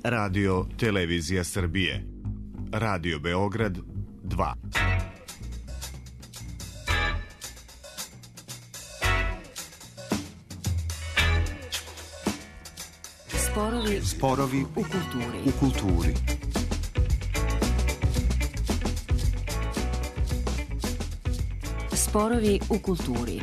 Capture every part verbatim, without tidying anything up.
Radio Televizija Srbije. Radio Beograd dva. Sporovi, Sporovi u kulturi. U kulturi. Sporovi u kulturi.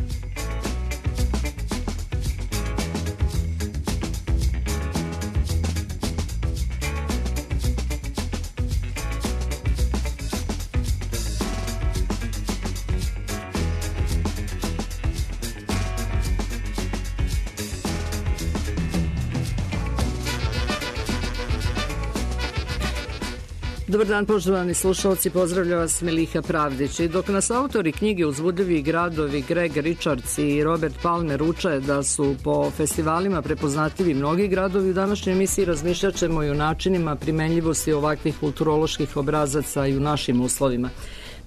Dobar dan, poštovani slušalci, pozdravlja vas Miliha Pravdić. I dok nas autori knjige Uzbudljivi gradovi Greg Richards i Robert Palmer uče da su po festivalima prepoznatljivi mnogi gradovi, u današnjoj emisiji razmišljat ćemo i o načinima primenljivosti ovakvih kulturoloških obrazaca i u našim uslovima.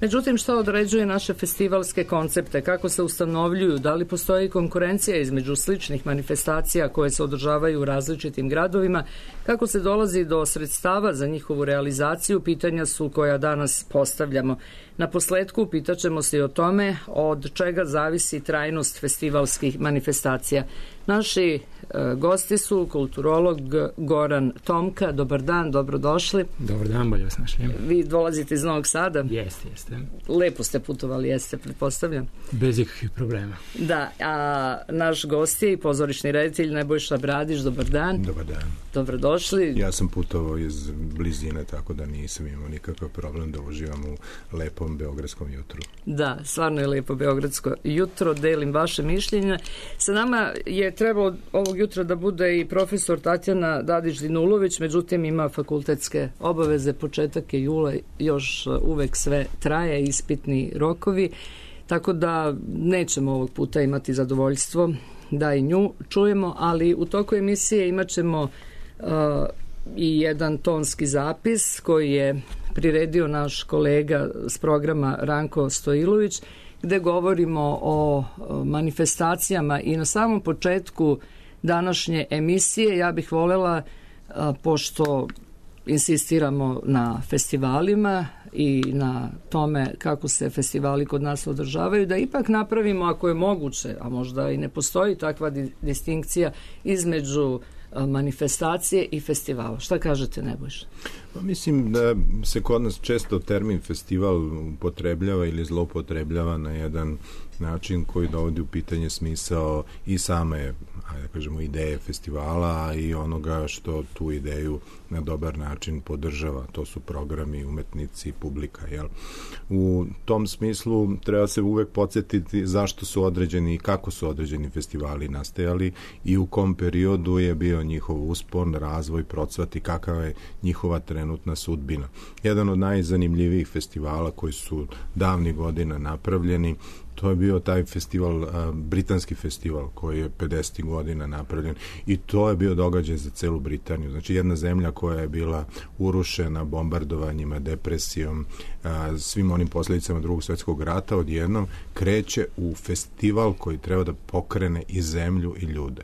Međutim, šta određuje naše festivalske koncepte, kako se ustanovljuju, da li postoji konkurencija između sličnih manifestacija koje se održavaju u različitim gradovima, kako se dolazi do sredstava za njihovu realizaciju, pitanja su koja danas postavljamo. Na posledku pitaćemo se i o tome od čega zavisi trajnost festivalskih manifestacija. Naši e, gosti su kulturolog Goran Tomka. Dobar dan, dobrodošli. Dobar dan, bolje vas našli. Vi dolazite iz Novog Sada? Jeste, jeste. Lepo ste putovali, jeste, pretpostavljam. Bez ikakvih problema. Da, a naš gost je i pozorišni reditelj Nebojša Bradić. Dobar dan. Dobar dan. Dobrodošli. Ja sam putovao iz blizine, tako da nisam imao nikakav problem da uživam u lepom beogradskom jutru. Da, stvarno je lepo beogradsko jutro, delim vaše mišljenje. Sa nama je trebalo ovog jutra da bude i profesor Tatjana Dadić-Dinulović, međutim ima fakultetske obaveze, početak je jula, još uvek sve traje, ispitni rokovi, tako da nećemo ovog puta imati zadovoljstvo da i nju čujemo, ali u toku emisije imat ćemo uh, i jedan tonski zapis koji je priredio naš kolega s programa Ranko Stojilović, gde govorimo o manifestacijama i na samom početku današnje emisije ja bih volela, pošto insistiramo na festivalima i na tome kako se festivali kod nas održavaju, da ipak napravimo, ako je moguće, a možda i ne postoji takva di- distinkcija između manifestacije i festivala. Šta kažete, Nebojša? Pa mislim da se kod nas često termin festival upotrebljava ili zloupotrebljava na jedan način koji dovodi u pitanje smisao i same, ajde da kažemo, ideje festivala i onoga što tu ideju na dobar način podržava. To su programi, umetnici, publika. Jel? U tom smislu treba se uvek podsjetiti zašto su određeni i kako su određeni festivali nastajali i u kom periodu je bio njihov uspon, razvoj, procvat i kakava je njihova trenutna sudbina. Jedan od najzanimljivijih festivala koji su davnih godina napravljeni, to je bio taj festival, a, britanski festival koji je pedesetih godina napravljen i to je bio događaj za celu Britaniju. Znači jedna zemlja koja je bila urušena bombardovanjima, depresijom, a, svim onim posljedicama Drugog svjetskog rata, odjednom kreće u festival koji treba da pokrene i zemlju i ljude.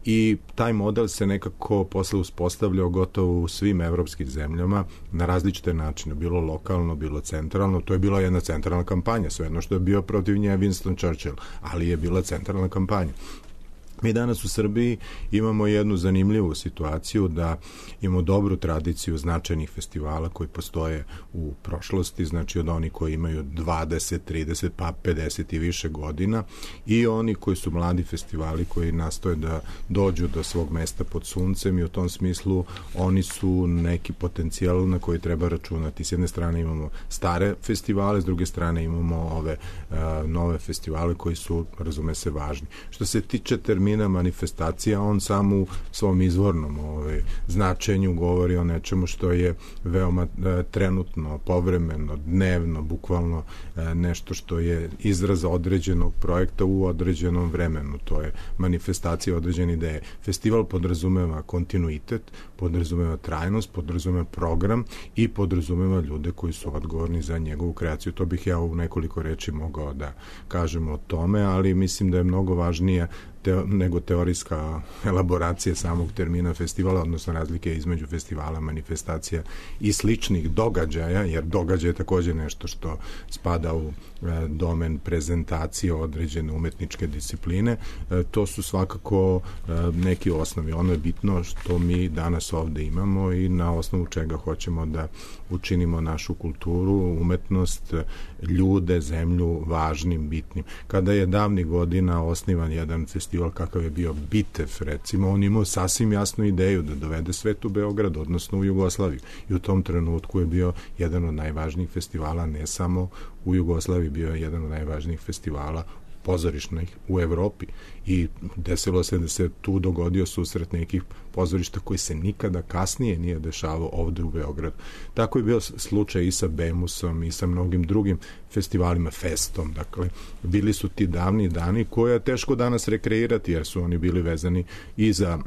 I taj model se nekako posle uspostavljao gotovo u svim evropskim zemljama na različite načine, bilo lokalno, bilo centralno. To je bila jedna centralna kampanja, svejedno što je bio protiv nje Winston Churchill, ali je bila centralna kampanja. Mi danas u Srbiji imamo jednu zanimljivu situaciju da imamo dobru tradiciju značajnih festivala koji postoje u prošlosti, znači od onih koji imaju dvadeset, trideset pa pedeset i više godina i oni koji su mladi festivali koji nastoje da dođu do svog mesta pod suncem i u tom smislu oni su neki potencijal na koji treba računati. S jedne strane imamo stare festivale, s druge strane imamo ove uh, nove festivale koji su, razume se, važni. Što se tiče termina manifestacija, on sam u svom izvornom ovaj, značenju govori o nečemu što je veoma e, trenutno, povremeno, dnevno, bukvalno e, nešto što je izraz određenog projekta u određenom vremenu. To je manifestacija određene ideje. Festival podrazumeva kontinuitet, podrazumeva trajnost, podrazumeva program i podrazumeva ljude koji su odgovorni za njegovu kreaciju. To bih ja u nekoliko reči mogao da kažem o tome, ali mislim da je mnogo važnije teo, nego teorijska elaboracija samog termina festivala, odnosno razlike između festivala, manifestacija i sličnih događaja, jer događaj je takođe nešto što spada u e, domen prezentacije određene umetničke discipline. E, to su svakako e, neki osnovi. Ono je bitno što mi danas ovde imamo i na osnovu čega hoćemo da učinimo našu kulturu, umetnost, ljude, zemlju važnim, bitnim. Kada je davnih godina osnivan jedan festival kakav je bio Bitev, recimo, on imao sasvim jasnu ideju da dovede svet u Beograd, odnosno u Jugoslaviju. I u tom trenutku je bio jedan od najvažnijih festivala, ne samo u Jugoslaviji, bio je jedan od najvažnijih festivala pozorišnih u Evropi i desilo se da se tu dogodio susret nekih pozorišta koji se nikada kasnije nije dešavao ovde u Beogradu. Tako je bio slučaj i sa Bemusom i sa mnogim drugim festivalima, Festom, dakle, bili su ti davni dani koje je teško danas rekreirati jer su oni bili vezani i za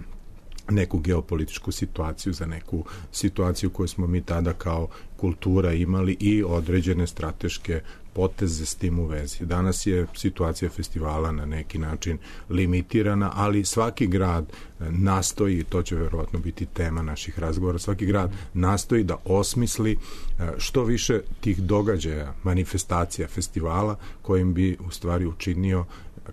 neku geopolitičku situaciju, za neku situaciju koju smo mi tada kao kultura imali i određene strateške poteze s tim u vezi. Danas je situacija festivala na neki način limitirana, ali svaki grad nastoji, i to će verovatno biti tema naših razgovora, svaki grad nastoji da osmisli što više tih događaja, manifestacija, festivala kojim bi u stvari učinio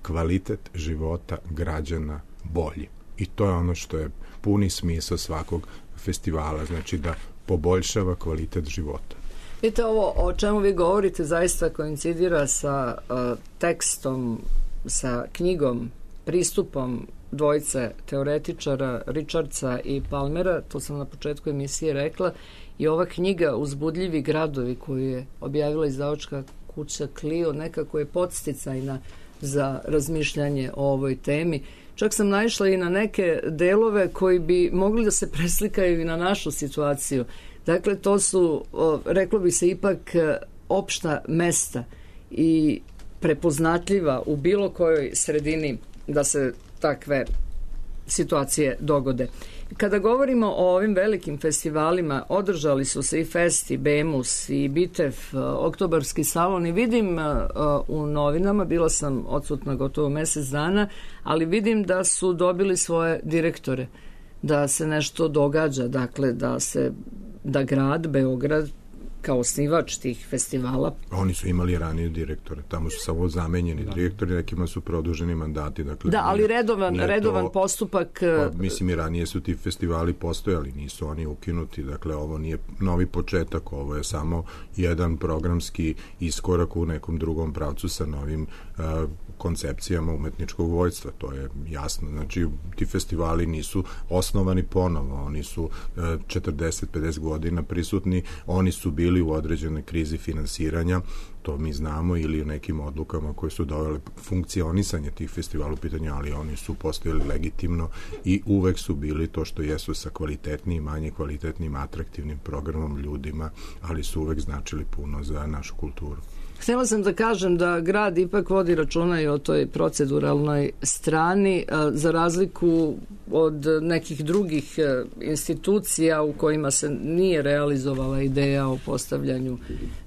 kvalitet života građana bolji. I to je ono što je puni smisao svakog festivala, znači da poboljšava kvalitet života. Vidite, ovo o čemu vi govorite zaista koincidira sa uh, tekstom, sa knjigom, pristupom dvojice teoretičara, Richardsa i Palmera, to sam na početku emisije rekla, i ova knjiga Uzbudljivi gradovi koju je objavila izdavačka kuća Clio nekako je podsticajna za razmišljanje o ovoj temi. Čak sam naišla i na neke delove koji bi mogli da se preslikaju i na našu situaciju. Dakle, to su, reklo bi se ipak, opšta mesta i prepoznatljiva u bilo kojoj sredini da se takve situacije dogode. Kada govorimo o ovim velikim festivalima, održali su se i Fest, i Bemus, i Bitev, Oktobarski salon, i vidim u novinama, bila sam odsutna gotovo mesec dana, ali vidim da su dobili svoje direktore, da se nešto događa, dakle da se da grad Beograd kao osnivač tih festivala. Oni su imali ranije direktore, tamo su samo zamenjeni da. direktori, nekima su produženi mandati. Dakle, da, ali nije, redovan, nije redovan to, postupak... Pa, mislim, i ranije su ti festivali postojali, nisu oni ukinuti, dakle, ovo nije novi početak, ovo je samo jedan programski iskorak u nekom drugom pravcu sa novim uh, koncepcijama umetničkog vojstva, to je jasno. Znači, ti festivali nisu osnovani ponovo, oni su uh, četrdeset pedeset godina prisutni, oni su bili u određenoj krizi finansiranja, to mi znamo, ili u nekim odlukama koje su dovele funkcionisanje tih festivala u pitanju, ali oni su postojali legitimno i uvek su bili to što jesu sa kvalitetnim, manje kvalitetnim, atraktivnim programom, ljudima, ali su uvek značili puno za našu kulturu. Htjela sam da kažem da grad ipak vodi računa i o toj proceduralnoj strani, za razliku od nekih drugih institucija u kojima se nije realizovala ideja o postavljanju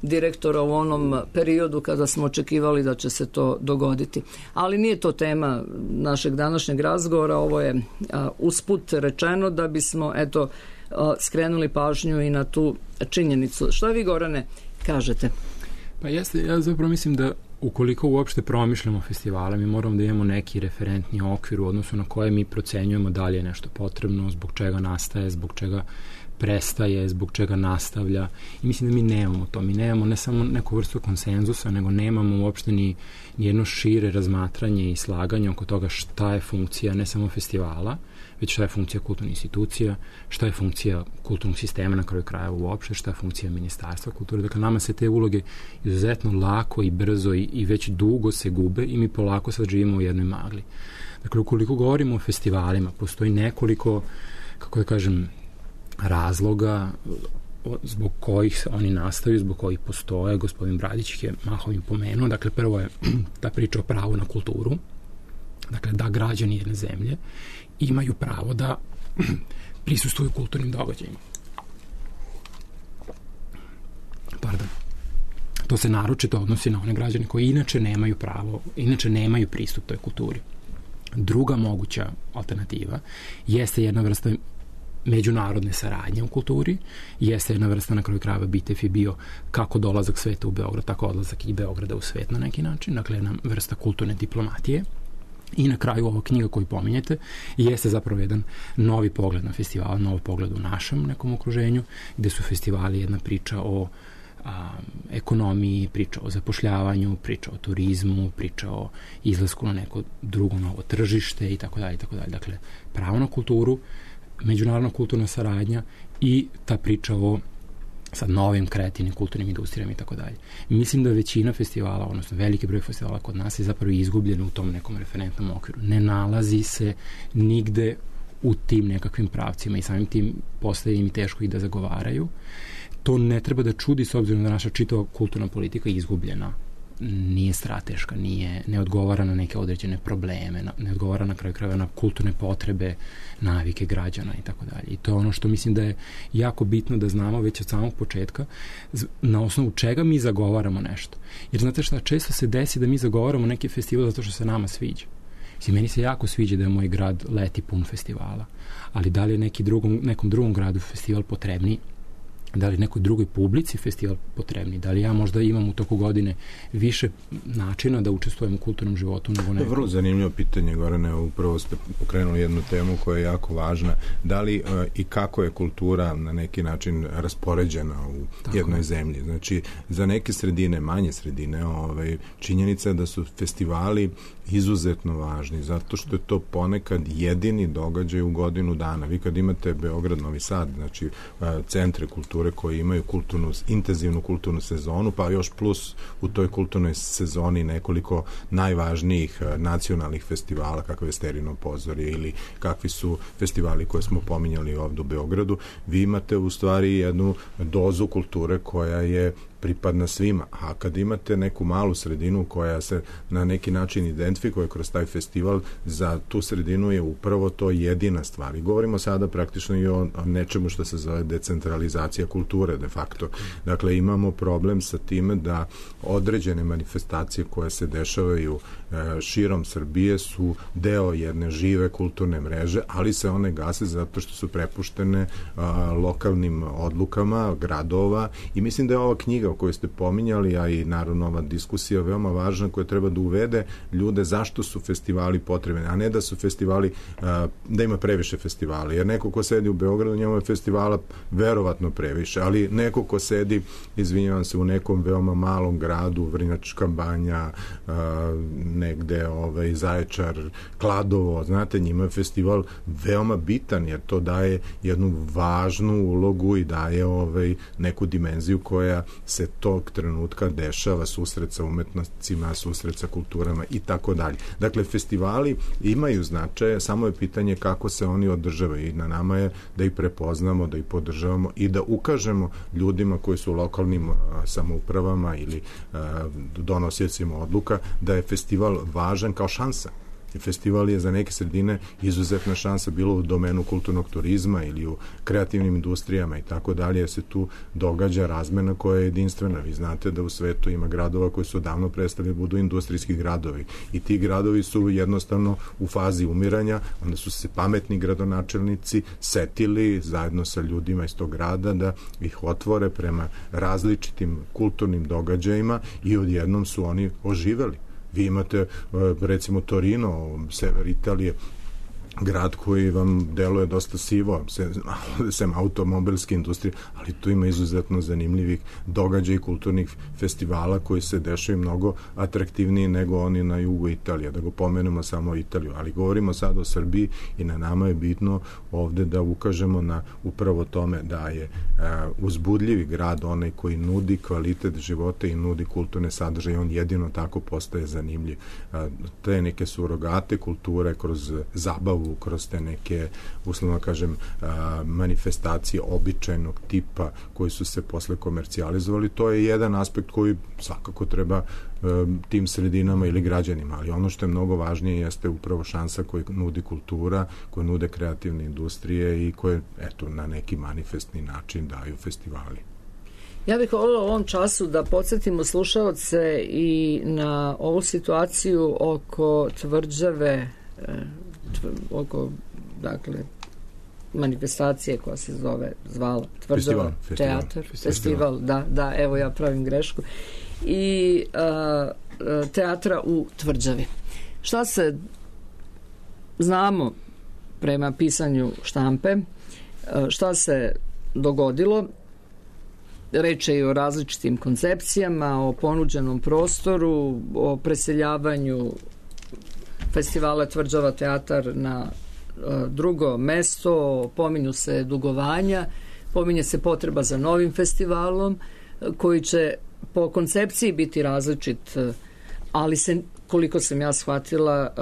direktora u onom periodu kada smo očekivali da će se to dogoditi. Ali nije to tema našeg današnjeg razgovora, ovo je usput rečeno da bismo eto skrenuli pažnju i na tu činjenicu. Šta vi, Gorane, kažete? Pa jeste, ja zapravo mislim da ukoliko uopšte promišljamo festivale, mi moramo da imamo neki referentni okvir u odnosu na koje mi procenjujemo da li je nešto potrebno, zbog čega nastaje, zbog čega prestaje, zbog čega nastavlja. I mislim da mi nemamo to. Mi nemamo ne samo neku vrstu konsenzusa, nego nemamo uopšte ni, ni jedno šire razmatranje i slaganje oko toga šta je funkcija ne samo festivala, već šta je funkcija kulturnih institucija, šta je funkcija kulturnog sistema na kraju kraja uopšte, šta je funkcija ministarstva kulture. Dakle, nama se te uloge izuzetno lako i brzo i, i već dugo se gube i mi polako sad živimo u jednoj magli. Dakle, ukoliko govorimo o festivalima, postoji nekoliko, kako da kažem, razloga zbog kojih oni nastaju, zbog kojih postoje. Gospodin Bradić ih je mahom im pomenuo. Dakle, prvo je ta priča o pravu na kulturu. Dakle, da građani jedne zemlje imaju pravo da prisustvuju kulturnim događajima. Pardon. To se naročito odnosi na one građane koji inače nemaju pravo, inače nemaju pristup toj kulturi. Druga moguća alternativa jeste jedna vrsta međunarodne saradnje u kulturi, jeste jedna vrsta, na kraju krajeva B I T E F je bio kako dolazak sveta u Beograd, tako odlazak i Beograda u svet na neki način, dakle jedna vrsta kulturne diplomatije. I na kraju ova knjiga koju pominjete jeste zapravo jedan novi pogled na festival, novi pogled u našem nekom okruženju, gde su festivali jedna priča o a, ekonomiji, priča o zapošljavanju, priča o turizmu, priča o izlasku na neko drugo novo tržište i tako dalje i tako dalje. Dakle, pravo na kulturu, međunarodna kulturna saradnja i ta priča o sad novim kreativnim kulturnim industrijama i tako dalje. Mislim da većina festivala, odnosno veliki broj festivala kod nas je zapravo izgubljen u tom nekom referentnom okviru. Ne nalazi se nigde u tim nekakvim pravcima i samim tim postaje im teško i da zagovaraju. To ne treba da čudi s obzirom da naša čitava kulturna politika je izgubljena, nije strateška, nije, ne odgovara na neke određene probleme, ne odgovara na kraju krajeva na kulturne potrebe, navike građana i tako dalje. I to je ono što mislim da je jako bitno da znamo već od samog početka na osnovu čega mi zagovaramo nešto. Jer znate šta, često se desi da mi zagovaramo neki festival zato što se nama sviđa. Mislim, meni se jako sviđa da je moj grad leti pun festivala, ali da li je neki drugom, nekom drugom gradu festival potrebniji, da li nekoj drugoj publici festival potrebni, da li ja možda imam u toku godine više načina da učestvujem u kulturnom životu nego neko. Vrlo zanimljivo pitanje, Gorane, upravo ste pokrenuli jednu temu koja je jako važna. Da li uh, i kako je kultura na neki način raspoređena u Tako. jednoj zemlji? Znači, za neke sredine, manje sredine, ovaj, činjenica je da su festivali izuzetno važni, zato što je to ponekad jedini događaj u godinu dana. Vi kad imate Beograd, Novi Sad, znači uh, centre kulture koji imaju kulturnu, intenzivnu kulturnu sezonu, pa još plus u toj kulturnoj sezoni nekoliko najvažnijih nacionalnih festivala, kakve je Sterino pozorje ili kakvi su festivali koje smo pominjali ovdje u Beogradu, vi imate u stvari jednu dozu kulture koja je pripadna svima. A kad imate neku malu sredinu koja se na neki način identifikuje kroz taj festival, za tu sredinu je upravo to jedina stvar. I govorimo sada praktično i o nečemu što se zove decentralizacija kulture de facto. Dakle, imamo problem sa time da određene manifestacije koje se dešavaju e, širom Srbije su deo jedne žive kulturne mreže, ali se one gase zato što su prepuštene a, lokalnim odlukama gradova i mislim da je ova knjiga o kojoj ste pominjali, a i naravno ova diskusija veoma važna koja treba da uvede ljude zašto su festivali potrebni, a ne da su festivali, da ima previše festivala. Jer neko ko sedi u Beogradu, njemu je festivala verovatno previše, ali neko ko sedi, izvinjavam se, u nekom veoma malom gradu, Vrnjačka Banja, negde ovaj, Zaječar, Kladovo, znate, njima je festival veoma bitan, jer to daje jednu važnu ulogu i daje ovaj, neku dimenziju koja se tog trenutka dešava, susret sa umetnostima, susret sa kulturama i tako dalje. Dakle, festivali imaju značaje, samo je pitanje kako se oni održavaju i na nama je da ih prepoznamo, da ih podržavamo i da ukažemo ljudima koji su u lokalnim a, samoupravama ili a, donosiocima odluka da je festival važan kao šansa. Festival je za neke sredine izuzetna šansa bilo u domenu kulturnog turizma ili u kreativnim industrijama i tako dalje, jer se tu događa razmena koja je jedinstvena. Vi znate da u svetu ima gradova koji su davno prestali da budu industrijski gradovi i ti gradovi su jednostavno u fazi umiranja, onda su se pametni gradonačelnici setili zajedno sa ljudima iz tog grada da ih otvore prema različitim kulturnim događajima i odjednom su oni oživeli. Vi imate, recimo, Torino, sever Italije, grad koji vam deluje dosta sivo, sem, sem automobilske industrije, ali tu ima izuzetno zanimljivih događaja i kulturnih festivala koji se dešaju mnogo atraktivniji nego oni na jugu Italije. Da go pomenemo samo Italiju, ali govorimo sad o Srbiji i na nama je bitno ovde da ukažemo na upravo tome da je uh, uzbudljivi grad onaj koji nudi kvalitet života i nudi kulturne sadržaje, on jedino tako postaje zanimljiv. Uh, te neke surogate kulture kroz zabavu, kroz te neke, uslovno kažem, manifestacije običajnog tipa koji su se posle komercijalizovali, to je jedan aspekt koji svakako treba tim sredinama ili građanima, ali ono što je mnogo važnije jeste upravo šansa koju nudi kultura, koju nude kreativne industrije i koje, eto, na neki manifestni način daju festivali. Ja bih voljela u ovom času da podsjetimo slušaoce i na ovu situaciju oko tvrđave oko, dakle, manifestacije koja se zove, zvala Tvrđava teatar, festival. festival, da, da, evo ja pravim grešku, i a, teatra u Tvrđavi. Šta se znamo prema pisanju štampe, šta se dogodilo? Reč je i o različitim koncepcijama, o ponuđenom prostoru, o preseljavanju festivala Tvrđava teatar na drugo mesto, pominju se dugovanja, pominje se potreba za novim festivalom koji će po koncepciji biti različit, ali se, koliko sam ja shvatila,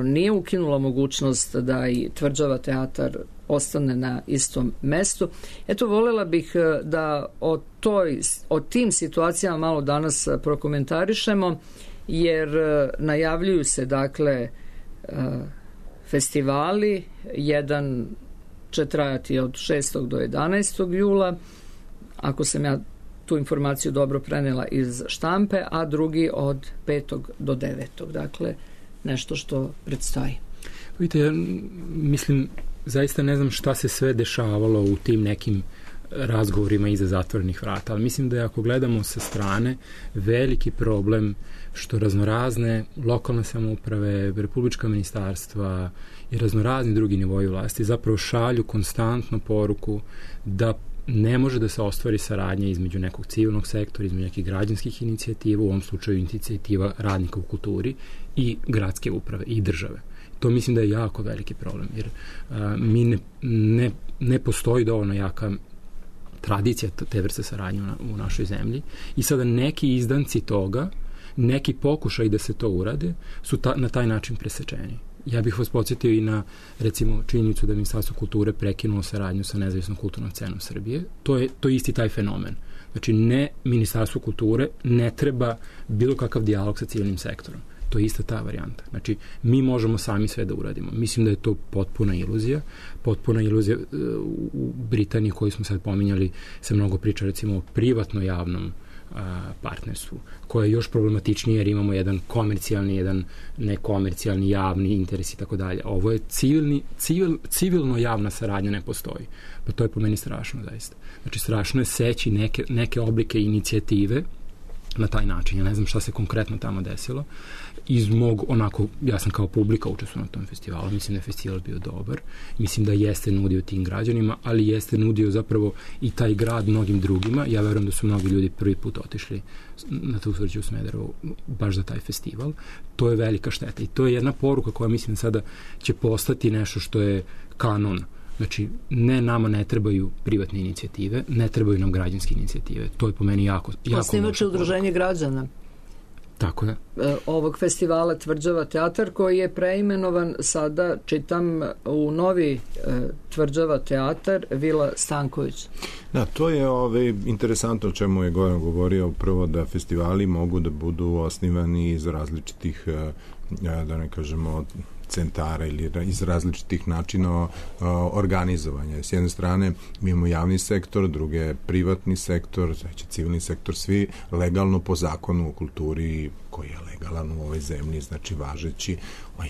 nije ukinula mogućnost da i Tvrđava teatar ostane na istom mestu. Eto, voljela bih da o, toj, o tim situacijama malo danas prokomentarišemo, jer najavljuju se, dakle, festivali. Jedan će trajati od šestog do jedanaestog jula, ako sam ja tu informaciju dobro prenela iz štampe, a drugi od petog do devetog. Dakle, nešto što predstoji. Vidite, ja mislim, zaista ne znam šta se sve dešavalo u tim nekim razgovorima iza zatvorenih vrata, ali mislim da je, ako gledamo sa strane, veliki problem što raznorazne lokalne samouprave, republička ministarstva i raznorazni drugi nivoji vlasti zapravo šalju konstantno poruku da ne može da se ostvari saradnja između nekog civilnog sektora, između nekih građanskih inicijativa, u ovom slučaju inicijativa radnika u kulturi, i gradske uprave i države. To mislim da je jako veliki problem, jer a, mi ne, ne, ne postoji dovoljno jaka tradicija te vrste saradnje u našoj zemlji, i sada neki izdanci toga, neki pokušaj da se to urade, su ta, na taj način presečeni. Ja bih vas podsjetio i na, recimo, činjenicu da Ministarstvo kulture prekinulo saradnju sa nezavisnom kulturnom scenom Srbije. To je, to je isti taj fenomen. Znači, ne Ministarstvo kulture ne treba bilo kakav dijalog sa civilnim sektorom. To je ista ta varijanta. Znači, mi možemo sami sve da uradimo. Mislim da je to potpuna iluzija. Potpuna iluzija. U Britaniji, koju smo sad pominjali, se mnogo priča, recimo, o privatno-javnom partnerstvu, koje je još problematičnije, jer imamo jedan komercijalni, jedan nekomercijalni, javni interes i tako dalje. Ovo je civilni, civil, civilno-javna saradnja ne postoji. Pa to je po meni strašno, zaista. Znači, strašno je seći neke, neke oblike inicijative na taj način. Ja ne znam šta se konkretno tamo desilo. Iz mog, onako, ja sam kao publika učestvovao na tom festivalu, mislim da je festival bio dobar, mislim da jeste nudio tim građanima, ali jeste nudio zapravo i taj grad mnogim drugima. Ja verujem da su mnogi ljudi prvi put otišli na tu Tvrđu u Smederevu baš za taj festival. To je velika šteta i to je jedna poruka koja, mislim, sada će postati nešto što je kanon. Znači, ne, nama ne trebaju privatne inicijative, ne trebaju nam građanske inicijative. To je po meni jako, jako Osnivač je udruženje građana. Tako je. Ovog festivala Tvrđava teatar, koji je preimenovan sada, čitam, u novi Tvrđava teatar Vila Stanković. Da, to je ove, interesantno o čemu je Goran govorio, prvo da festivali mogu da budu osnivani iz različitih, da ne kažemo, centara ili iz različitih načina organizovanja. S jedne strane mi imamo javni sektor, druge privatni sektor, znači civilni sektor, svi legalno po zakonu o kulturi koji je legalan u ovoj zemlji, znači važeći,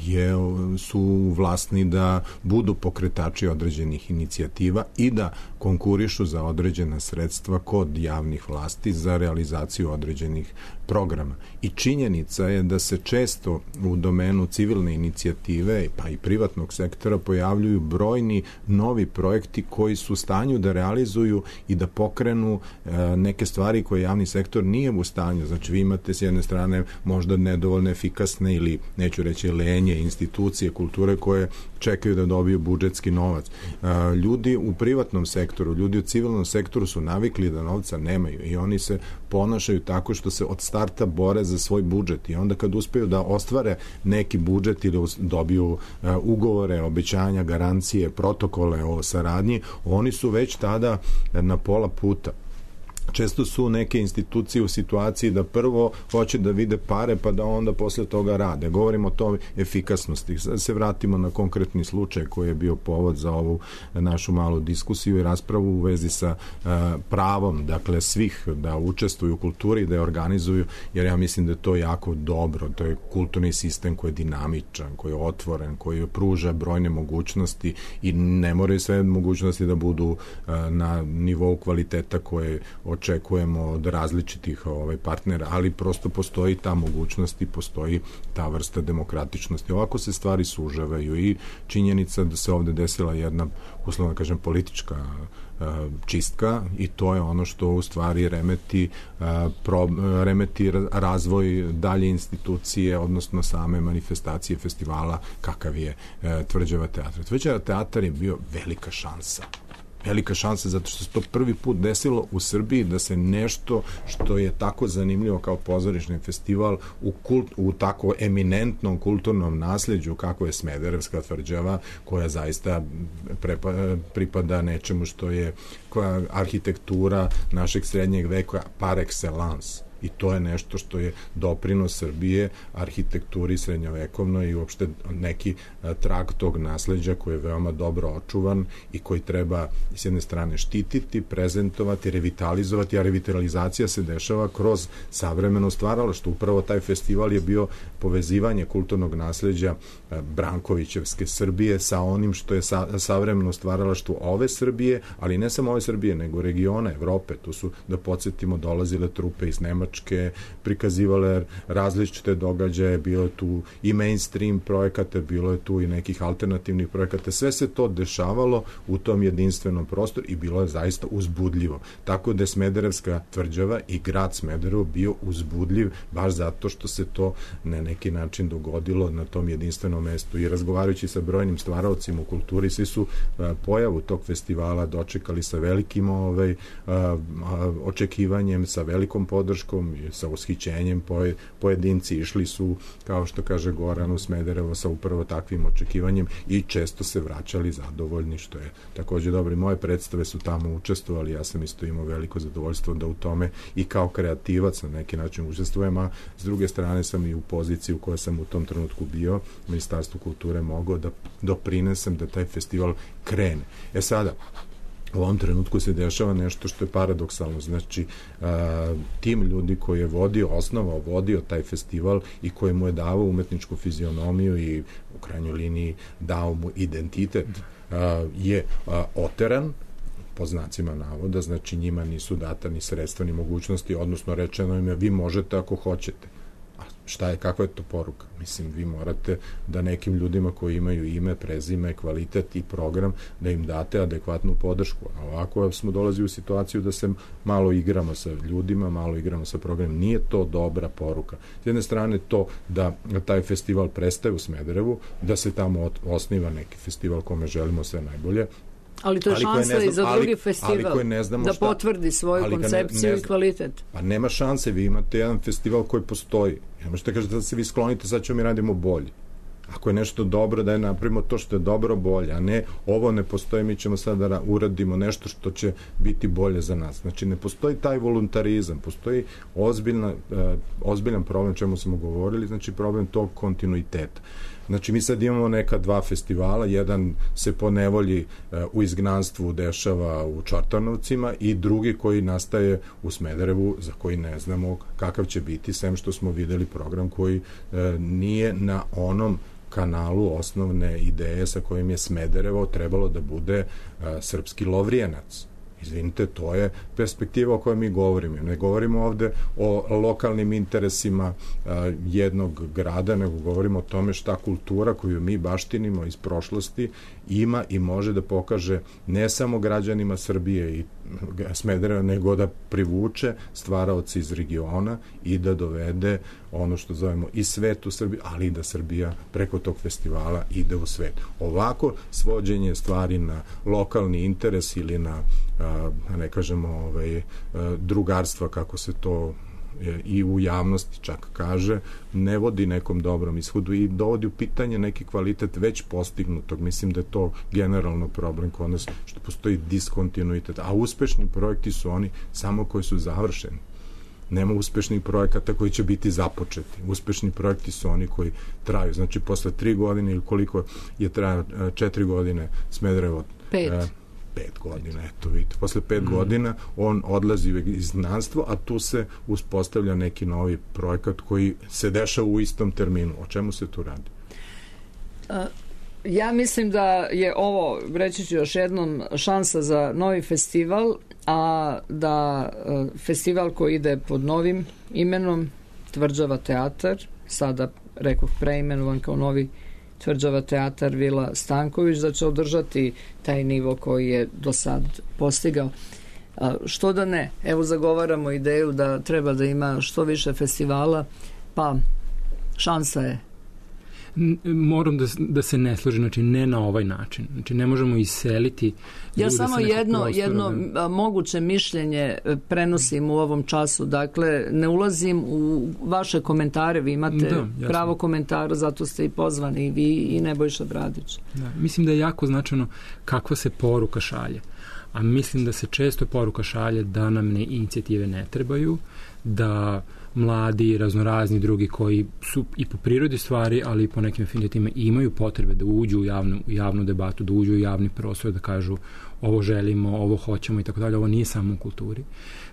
je, su vlasni da budu pokretači određenih inicijativa i da konkurišu za određena sredstva kod javnih vlasti za realizaciju određenih programa. I činjenica je da se često u domenu civilne inicijative pa i privatnog sektora pojavljuju brojni novi projekti koji su u stanju da realizuju i da pokrenu e, neke stvari koje javni sektor nije u stanju. Znači, vi imate s jedne strane možda nedovoljno efikasne ili, neću reći, lenje institucije kulture koje čekaju da dobiju budžetski novac. E, ljudi u privatnom sektoru, ljudi u civilnom sektoru su navikli da novca nemaju i oni se ponašaju tako što se od starta bore za svoj budžet i onda kad uspeju da ostvare neki budžet ili dobiju uh, ugovore, obećanja, garancije, protokole o saradnji, oni su već tada na pola puta. često su neke institucije u situaciji da prvo hoće da vide pare pa da onda posle toga rade. Govorimo o toj efikasnosti. Sad se vratimo na konkretni slučaj koji je bio povod za ovu našu malu diskusiju i raspravu u vezi sa uh, pravom, dakle svih da učestvuju u kulturi, da je organizuju, jer ja mislim da je to jako dobro. To je kulturni sistem koji je dinamičan, koji je otvoren, koji pruža brojne mogućnosti i ne moraju sve mogućnosti da budu uh, na nivou kvaliteta koje očekujemo od različitih ovaj, partnera, ali prosto postoji ta mogućnost i postoji ta vrsta demokratičnosti. Ovako se stvari sužavaju i činjenica da se ovde desila jedna, uslovno kažem, politička uh, čistka i to je ono što u stvari remeti, uh, pro, remeti razvoj dalje institucije, odnosno same manifestacije festivala kakav je uh, Tvrđava teatra. Tvrđava teatar je bio velika šansa. Velika šansa zato što se to prvi put desilo u Srbiji da se nešto što je tako zanimljivo kao pozorišni festival u, kult, u tako eminentnom kulturnom nasleđu kako je Smederevska tvrđava, koja zaista prepa, pripada nečemu što je koja arhitektura našeg srednjeg veka par excellence. I to je nešto što je doprinos Srbije arhitekturi srednjovekovnoj i uopšte neki trag tog nasleđa koji je veoma dobro očuvan i koji treba s jedne strane štititi, prezentovati, revitalizovati, a revitalizacija se dešava kroz savremeno stvaralaštvo. Upravo taj festival je bio povezivanje kulturnog nasleđa Brankovićevske Srbije sa onim što je sa, savremeno stvaralaštvo ove Srbije, ali ne samo ove Srbije, nego regiona Evrope. Tu su, da podsjetimo, dolazile trupe iz Nemačke, prikazivale različite događaje, bilo je tu i mainstream projekata, bilo je tu i nekih alternativnih projekata. Sve se to dešavalo u tom jedinstvenom prostoru i bilo je zaista uzbudljivo. Tako da je Smederevska tvrđava i grad Smederevo bio uzbudljiv baš zato što se to na neki način dogodilo na tom jedinstvenom mestu. I razgovarajući sa brojnim stvaraocima u kulturi, svi su a, pojavu tog festivala dočekali sa velikim ovaj, a, a, očekivanjem, sa velikom podrškom, sa ushićenjem. Pojedinci išli su, kao što kaže Goran, u Smederevo sa upravo takvim očekivanjem i često se vraćali zadovoljni, što je takođe dobro. I moje predstave su tamo učestvovali, ja sam isto imao veliko zadovoljstvo da u tome i kao kreativac na neki način učestvujem, a s druge strane sam i u poziciji u kojoj sam u tom trenutku bio, Ministarstvo kulture, mogao da doprinesem da taj festival krene. E sada, u ovom trenutku se dešava nešto što je paradoksalno. Znači, a, tim ljudi koji je vodio, osnovao, vodio taj festival i koji mu je davao umetničku fizionomiju i u krajnjoj liniji dao mu identitet, a, je a, oteran, po znacima navoda, znači njima nisu data ni sredstva ni mogućnosti, odnosno rečeno im je vi možete ako hoćete. A šta je, kakva je to poruka? Mislim, vi morate da nekim ljudima koji imaju ime, prezime, kvalitet i program, da im date adekvatnu podršku. A ovako smo dolazili u situaciju da se malo igramo sa ljudima, malo igramo sa programom. Nije to dobra poruka. S jedne strane to da taj festival prestaje u Smederevu, da se tamo osniva neki festival kome želimo sve najbolje, ali to je ali šansa znam, i za drugi ali, festival ali da šta, potvrdi svoju koncepciju ne, ne i kvalitet. Pa nema šanse, vi imate jedan festival koji postoji. Ne možete kažete da se vi sklonite, sad ćemo mi radimo bolje. Ako je nešto dobro, da je napravimo to što je dobro bolje, a ne ovo ne postoji, mi ćemo sad da uradimo nešto što će biti bolje za nas. Znači, ne postoji taj voluntarizam, postoji ozbiljna, ozbiljan problem, čemu smo govorili, znači problem tog kontinuiteta. Znači, mi sad imamo neka dva festivala, jedan se po nevolji u izgnanstvu dešava u Čortanovcima i drugi koji nastaje u Smederevu, za koji ne znamo kakav će biti, sem što smo videli program koji nije na onom kanalu osnovne ideje sa kojim je Smederevo trebalo da bude srpski Lovrijenac. Izvinite, to je perspektiva o kojoj mi govorimo. Ne govorimo ovde o lokalnim interesima a, jednog grada, nego govorimo o tome šta kultura koju mi baštinimo iz prošlosti ima i može da pokaže ne samo građanima Srbije i Smedereva, nego da privuče stvaraoci iz regiona i da dovede ono što zovemo i svet u Srbiji, ali i da Srbija preko tog festivala ide u svet. Ovako svođenje stvari na lokalni interes ili na, a, ne kažemo, ovaj, drugarstva, kako se to i u javnosti čak kaže, ne vodi nekom dobrom ishodu i dovodi u pitanje neki kvalitet već postignutog. Mislim da je to generalno problem kod nas, što postoji diskontinuitet, a uspešni projekti su oni samo koji su završeni. Nema uspešnih projekata koji će biti započeti. Uspešni projekti su oni koji traju. Znači, posle tri godine ili koliko je trajao četiri godine Smederevo? Pet. E, pet godina, eto vidite. Posle pet mm. godina on odlazi u izgnanstvo, a tu se uspostavlja neki novi projekat koji se dešava u istom terminu. O čemu se tu radi? A, ja mislim da je ovo, reći ću još jednom, šansa za novi festival, a da a, festival koji ide pod novim imenom Tvrđava teatar, sada rekoh preimenovan kao novi Tvrđava teatar Vila Stanković, da će održati taj nivo koji je do sad postigao. A, što da ne? Evo zagovaramo ideju da treba da ima što više festivala, pa šansa je. Moram da, da se ne složi, znači ne na ovaj način. Znači ne možemo iseliti. Ja samo jedno, jedno da... moguće mišljenje prenosim u ovom času. Dakle, ne ulazim u vaše komentare, vi imate da, pravo komentara, zato ste i pozvani i vi i Nebojša Bradić. Da, mislim da je jako značajno kakva se poruka šalje. A mislim da se često poruka šalje da nam ne inicijative ne trebaju, da mladi, raznorazni drugi koji su i po prirodi stvari, ali i po nekim afinitima imaju potrebe da uđu u javnu, u javnu debatu, da uđu u javni prostor, da kažu ovo želimo, ovo hoćemo i tako dalje. Ovo nije samo u kulturi.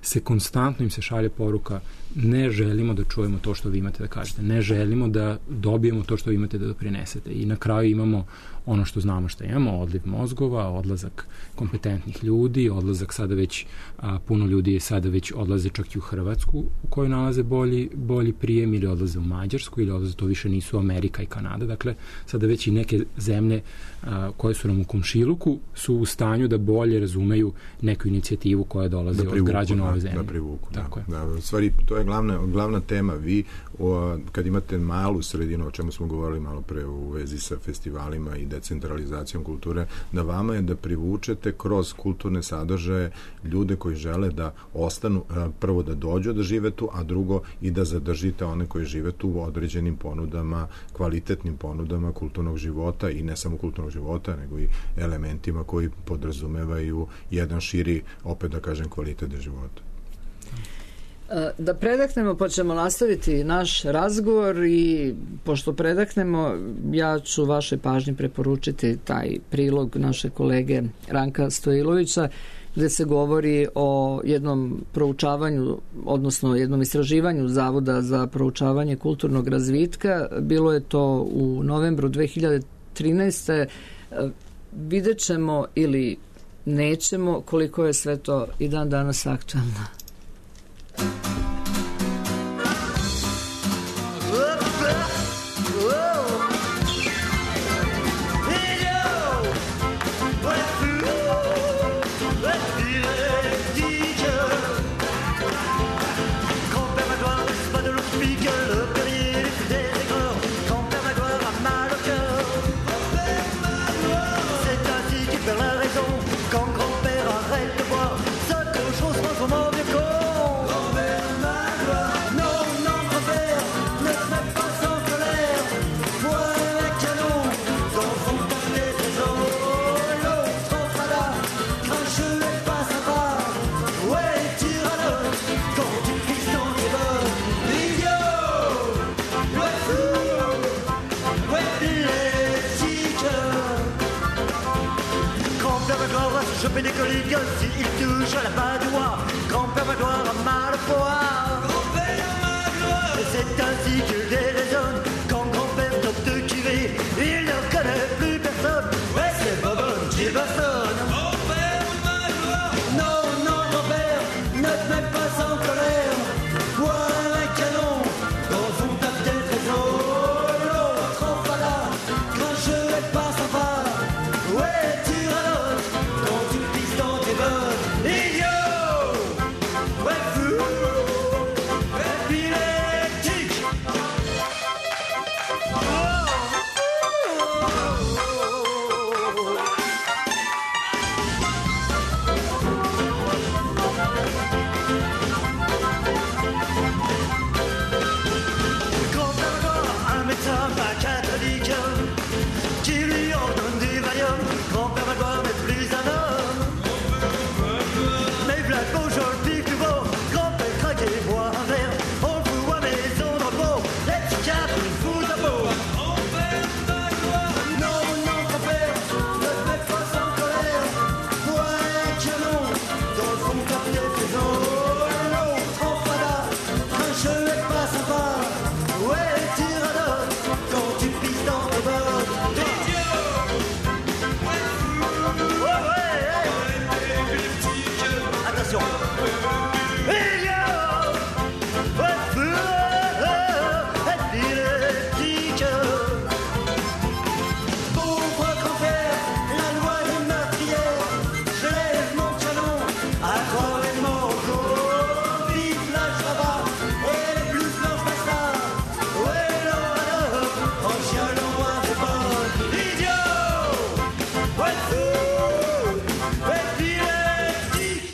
Se konstantno im se šalje poruka, ne želimo da čujemo to što vi imate da kažete, ne želimo da dobijemo to što vi imate da doprinesete. I na kraju imamo ono što znamo što imamo, odliv mozgova, odlazak kompetentnih ljudi, odlazak sada već, a, puno ljudi je sada već odlaze čak i u Hrvatsku u kojoj nalaze bolji, bolji prijem, ili odlaze u Mađarsku, ili odlaze, to više nisu Amerika i Kanada. Dakle, sada već i neke zemlje a, koje su nam u komšiluku su u stanju da bolje razumeju neku inicijativu koja dolazi da privuku, od građana ove zemlje. Da privuku, tako da. je. Da, u stvari, to je glavna, glavna tema. Vi, o, kad imate malu sredinu, o čemu smo govorili malo pre u vezi sa festivalima i decentralizacijom kulture, da vama je da privučete kroz kulturne sadržaje ljude koji žele da ostanu, prvo da dođu da žive tu, a drugo i da zadržite one koji žive tu u određenim ponudama, kvalitetnim ponudama kulturnog života, i ne samo kulturnog života, nego i elementima koji podrazumevaju jedan širi, opet da kažem, kvalitet života. Da predahnemo, pa ćemo nastaviti naš razgovor, i pošto predahnemo, ja ću vaše pažnje preporučiti taj prilog naše kolege Ranka Stojilovića, gde se govori o jednom proučavanju, odnosno jednom istraživanju Zavoda za proučavanje kulturnog razvitka. Bilo je to u novembru dve hiljade trinaeste. Vidjet ćemo ili nećemo koliko je sve to i dan danas aktualno. Choper des colligues s'il touche à la badoie. Grand-père Magloire a mal au poire. Grand-père Magloire. C'est ainsi que déraisonne quand grand-père tente de tirer. Il ne connaît plus personne. Ouais, c'est Bobonne qui bastonne. Grand-père Magloire. Non, non, grand-père, ne te mets pas en colère. Vois un canon dans son tape des trésors. L'autre en fada, grincheux et pas sympa. Ouais, tyrannote. attention. Il y a un feu épileptique. Pauvre grand-père, la loi est meurtrière. Je lève mon canon, accordez-moi au corps. Vive la Java et les blues blanches bastards. Ouais, non, alors, en chialant à des bonnes. Idiot, ouais, fou, épileptique.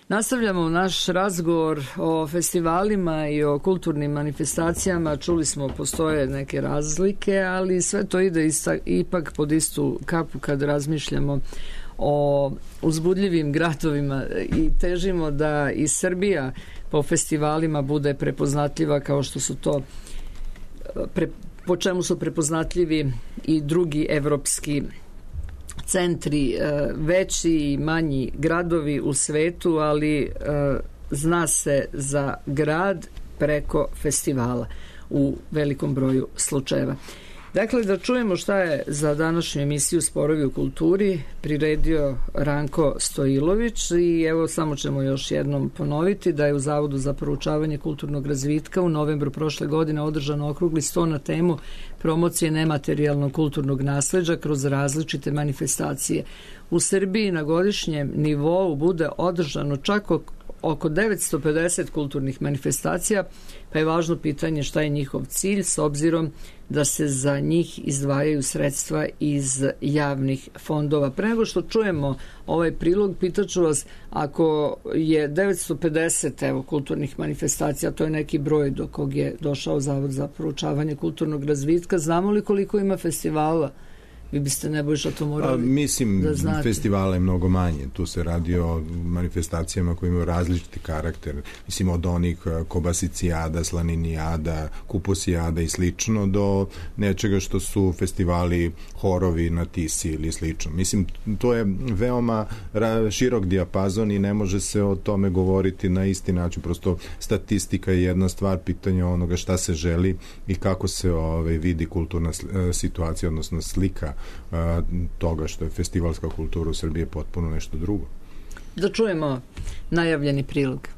Nastavljamo naš razgovor o festivalima i o kulturnim manifestacijama. Čuli smo, postoje neke razlike, ali sve to ide ista, ipak pod istu kapu kad razmišljamo o uzbudljivim gradovima i težimo da i Srbija po festivalima bude prepoznatljiva kao što su to, pre, po čemu su prepoznatljivi i drugi evropski centri, veći i manji gradovi u svetu, ali zna se za grad preko festivala u velikom broju slučajeva. Dakle, da čujemo šta je za današnju emisiju Sporovi u kulturi priredio Ranko Stojilović i evo samo ćemo još jednom ponoviti da je u Zavodu za proučavanje kulturnog razvitka u novembru prošle godine održan okrugli sto na temu promocije nematerijalnog kulturnog nasleđa kroz različite manifestacije. U Srbiji na godišnjem nivou bude održano čak oko devetsto pedeset kulturnih manifestacija, pa je važno pitanje šta je njihov cilj s obzirom da se za njih izdvajaju sredstva iz javnih fondova. Pre nego što čujemo ovaj prilog, pitaću vas, ako je devetsto pedeset evo, kulturnih manifestacija, to je neki broj do kog je došao Zavod za proučavanje kulturnog razvitka, znamo li koliko ima festivala? Vi biste Nebojša to morali A, mislim, da znate. Festivala je mnogo manje. Tu se radi o manifestacijama koje imaju različiti karakter. Mislim, od onih kobasicijada, slaninijada, kuposijada i slično, do nečega što su festivali horovi na Tisi ili slično. Mislim, to je veoma širok dijapazon i ne može se o tome govoriti na isti način. Prosto statistika je jedna stvar, pitanja onoga šta se želi i kako se ovaj, vidi kulturna situacija, odnosno slika toga što je festivalska kultura u Srbiji potpuno nešto drugo. Da čujemo najavljeni prilog.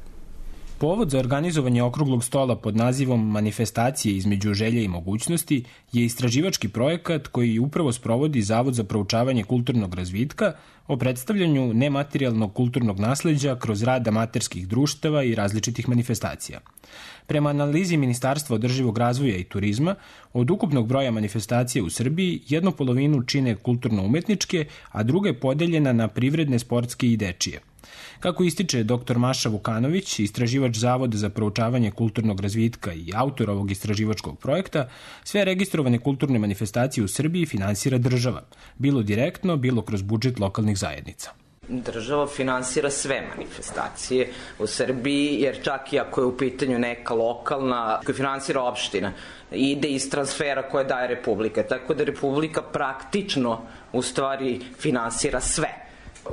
Povod za organizovanje okruglog stola pod nazivom Manifestacije između želje i mogućnosti je istraživački projekat koji upravo sprovodi Zavod za proučavanje kulturnog razvitka o predstavljanju nematerijalnog kulturnog nasleđa kroz rad amaterskih društava i različitih manifestacija. Prema analizi Ministarstva održivog razvoja i turizma, od ukupnog broja manifestacija u Srbiji jednu polovinu čine kulturno-umetničke, a druga je podeljena na privredne, sportske i dečije. Kako ističe dr Maša Vukanović, istraživač Zavoda za proučavanje kulturnog razvitka i autor ovog istraživačkog projekta, sve registrovane kulturne manifestacije u Srbiji finansira država, bilo direktno, bilo kroz budžet lokalnih zajednica. Država finansira sve manifestacije u Srbiji, jer čak i ako je u pitanju neka lokalna, koja finansira opština, ide iz transfera koje daje Republika. Tako da Republika praktično u stvari finansira sve.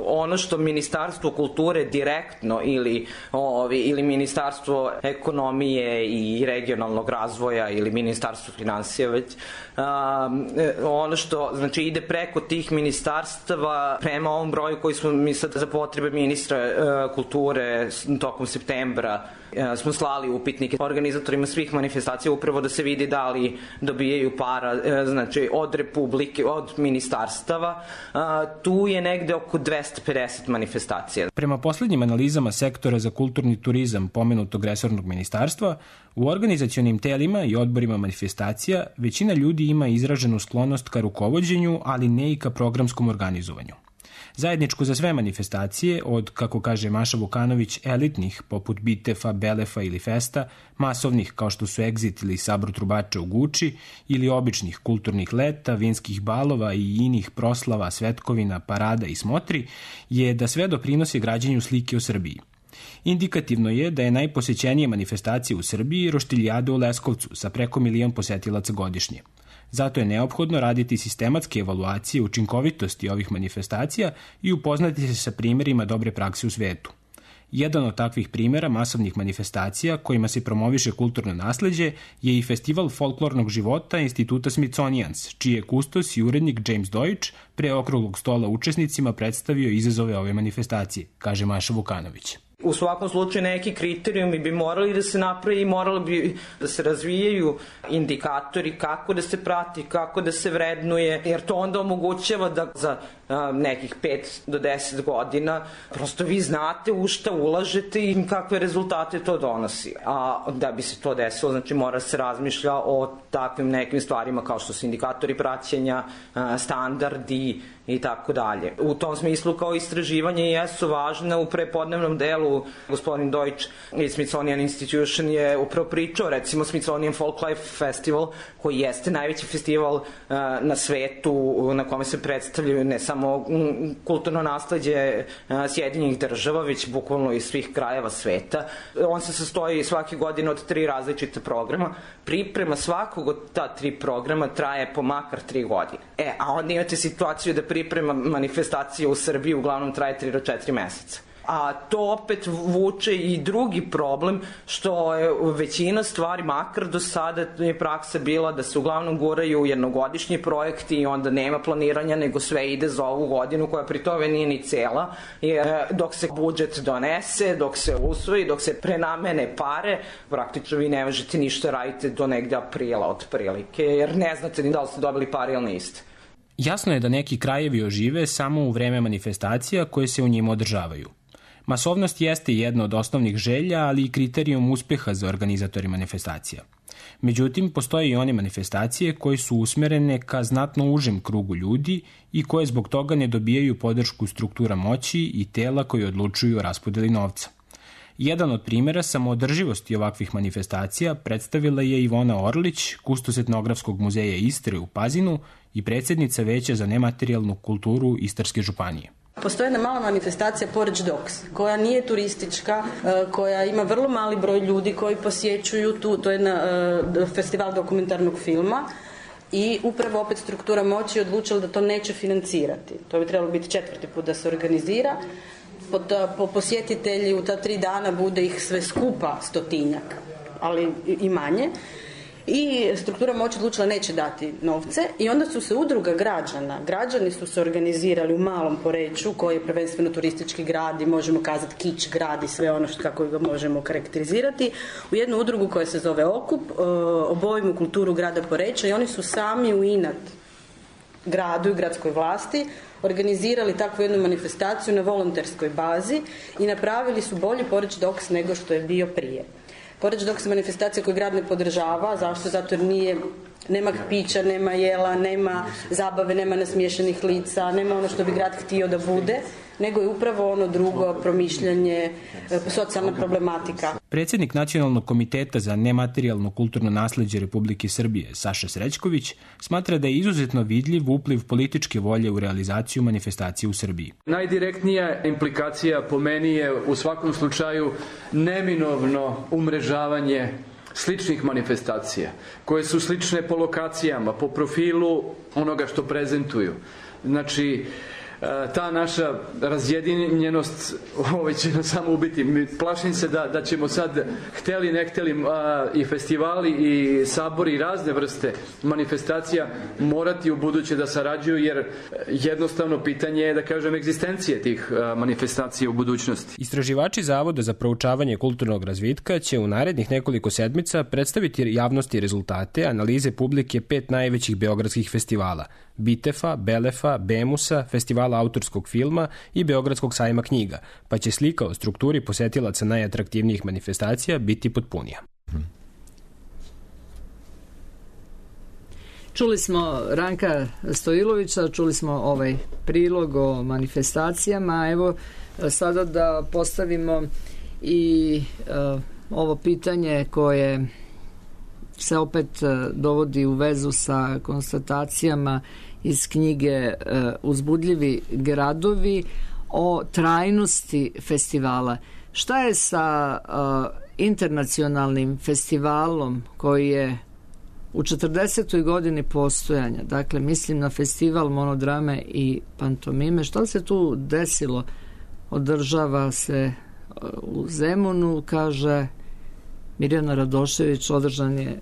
Ono što Ministarstvo kulture direktno ili, ovi, ili Ministarstvo ekonomije i regionalnog razvoja ili Ministarstvo finansija već, um, ono što znači ide preko tih ministarstava prema ovom broju koji smo mi sad za potrebe ministra uh, kulture tokom septembra uh, smo slali upitnike organizatorima svih manifestacija upravo da se vidi da li dobijaju para uh, znači od Republike, od ministarstava. Uh, tu je negde oko dvesta pedeset manifestacija. Prema poslednjim analizama sektora za kulturni turizam pomenutog resornog ministarstva, u organizacionim telima i odborima manifestacija većina ljudi ima izraženu sklonost ka rukovođenju, ali ne i ka programskom organizovanju. Zajedničko za sve manifestacije, od, kako kaže Maša Vukanović, elitnih, poput Bitefa, Belefa ili Festa, masovnih, kao što su Exit ili Sabor trubača u Guči, ili običnih kulturnih leta, vinskih balova i inih proslava, svetkovina, parada i smotri, je da sve doprinosi građenju slike o Srbiji. Indikativno je da je najposećenije manifestacija u Srbiji Roštiljada u Leskovcu sa preko milion posetilaca godišnje. Zato je neophodno raditi sistematske evaluacije učinkovitosti ovih manifestacija i upoznati se sa primjerima dobre prakse u svetu. Jedan od takvih primjera masovnih manifestacija kojima se promoviše kulturno nasleđe je i Festival folklornog života Instituta Smithsonians, čiji je kustos i urednik James Deutsch pre okruglog stola učesnicima predstavio izazove ove manifestacije, kaže Maša Vukanović. U svakom slučaju neki kriterijumi bi morali da se napravi i morali bi da se razvijaju indikatori kako da se prati, kako da se vrednuje, jer to onda omogućava da za a, nekih pet do deset godina prosto vi znate u šta ulažete i kakve rezultate to donosi. A da bi se to desilo, znači mora se razmišlja o takvim nekim stvarima kao što su indikatori praćenja, a, standardi i tako dalje. U tom smislu kao istraživanje jesu važne. U prepodnevnom delu gospodin Deutsch i Smithsonian Institution je upravo pričao, recimo Smithsonian Folklife Festival, koji jeste najveći festival uh, na svetu na kome se predstavljaju ne samo um, kulturno nasleđe uh, Sjedinjenih država, već bukvalno iz svih krajeva sveta. On se sastoji svake godine od tri različita programa. Priprema svakog od ta tri programa traje po makar tri godine. E, a onda imate situaciju da priprema manifestacije u Srbiji uglavnom traje tri do četiri meseca. A to opet vuče i drugi problem, što je većina stvari, makar do sada je praksa bila da se uglavnom guraju jednogodišnji projekti i onda nema planiranja, nego sve ide za ovu godinu koja pri tome nije ni cela. Jer dok se budžet donese, dok se usvoji, dok se prenamene pare, praktično vi ne možete ništa raditi do negde aprila otprilike, jer ne znate ni da li ste dobili pare ili niste. Jasno je da neki krajevi ožive samo u vreme manifestacija koje se u njima održavaju. Masovnost jeste jedna od osnovnih želja, ali i kriterijum uspeha za organizatori manifestacija. Međutim, postoje i one manifestacije koje su usmerene ka znatno užem krugu ljudi i koje zbog toga ne dobijaju podršku struktura moći i tela koji odlučuju o raspodeli novca. Jedan od primjera samoodrživosti ovakvih manifestacija predstavila je Ivona Orlić, kustos Etnografskog muzeja Istre u Pazinu i predsjednica Veća za nematerijalnu kulturu Istarske županije. Postoji jedna mala manifestacija Porridge Dogs, koja nije turistička, koja ima vrlo mali broj ljudi koji posjećuju tu, to je jedna, festival dokumentarnog filma i upravo opet struktura moći je odlučila da to neće financirati. To bi trebalo biti četvrti put da se organizira. Po, po posjetitelji u ta tri dana bude ih sve skupa stotinjak, ali i manje. I struktura moći odlučila neće dati novce i onda su se udruga građana, građani su se organizirali u Malom Poreču, koji je prvenstveno turistički grad i možemo kazati kič grad i sve ono što kako ga možemo karakterizirati, u jednu udrugu koja se zove Okup, obojimo kulturu grada Poreča i oni su sami u inat gradu i gradskoj vlasti organizirali takvu jednu manifestaciju na volonterskoj bazi i napravili su bolji Porridge Dogs nego što je bio prije. Porridge Dogs je manifestacija koju grad ne podržava. Zašto? Zato jer nije, nema pića, nema jela, nema zabave, nema nasmiješanih lica, nema ono što bi grad htio da bude, nego je upravo ono drugo promišljanje, socijalna problematika. Predsjednik Nacionalnog komiteta za nematerijalno kulturno nasleđe Republike Srbije, Saša Srećković, smatra da je izuzetno vidljiv upliv političke volje u realizaciju manifestacije u Srbiji. Najdirektnija implikacija po meni je u svakom slučaju neminovno umrežavanje sličnih manifestacija, koje su slične po lokacijama, po profilu onoga što prezentuju. Znači, ta naša razjedinjenost ovaj će nas samo ubiti. Plašim se da, da ćemo sad, hteli ne hteli, i festivali i sabori i razne vrste manifestacija morati u buduće da sarađuju, jer jednostavno pitanje je, da kažem, egzistencije tih manifestacija u budućnosti. Istraživači Zavoda za proučavanje kulturnog razvitka će u narednih nekoliko sedmica predstaviti javnosti rezultate analize publike pet najvećih beogradskih festivala: Bitefa, Belefa, Bemusa, Festivala autorskog filma i Beogradskog sajma knjiga, pa će slika o strukturi posetilaca najatraktivnijih manifestacija biti potpunija. Čuli smo Ranka Stojilovića, čuli smo ovaj prilog o manifestacijama. Evo sada da postavimo i uh, ovo pitanje koje se opet dovodi u vezu sa konstatacijama iz knjige uh, Uzbudljivi gradovi o trajnosti festivala. Šta je sa uh, internacionalnim festivalom koji je u četrdesetoj godini postojanja, dakle mislim na festival monodrame i pantomime, šta se tu desilo? Održava se u Zemunu, kaže Mirjana Radošević, održan je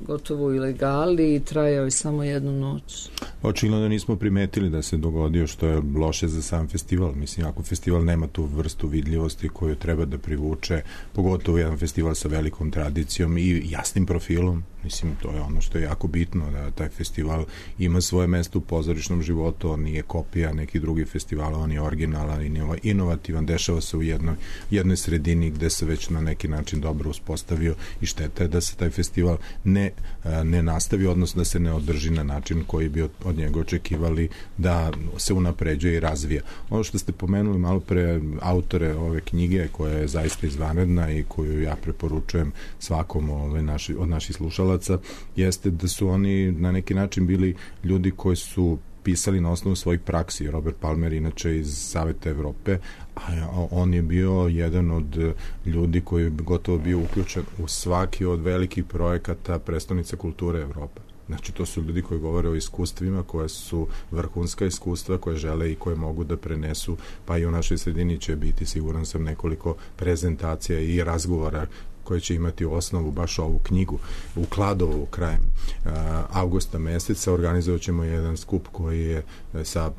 gotovo u ilegali i trajao je samo jednu noć. Očigledno da nismo primetili da se dogodio, što je loše za sam festival. Mislim, ako festival nema tu vrstu vidljivosti koju treba da privuče, pogotovo jedan festival sa velikom tradicijom i jasnim profilom, mislim, to je ono što je jako bitno, da taj festival ima svoje mesto u pozorišnom životu, on nije kopija nekih drugih festivala, on je originalan i inovativan, dešava se u jednoj, jednoj sredini gde se već na neki način dobro uspostavio i šteta je da se taj festival ne, ne nastavi, odnosno da se ne održi na način koji bi od, od njega očekivali da se unapređuje i razvija. Ono što ste pomenuli malo pre, autore ove knjige, koja je zaista izvanredna i koju ja preporučujem svakom ove naši, od naših slušalaca, jeste da su oni na neki način bili ljudi koji su pisali na osnovu svojih praksi. Robert Palmer inače iz Saveta Evrope, a on je bio jedan od ljudi koji je gotovo bio uključen u svaki od velikih projekata prestonice kulture Evrope. Znači, to su ljudi koji govore o iskustvima, koje su vrhunska iskustva, koje žele i koje mogu da prenesu, pa i u našoj sredini će biti, siguran sam, nekoliko prezentacija i razgovora koje će imati osnovu baš ovu knjigu. U Kladovu krajem uh, avgusta meseca organizovat ćemo jedan skup koji je sa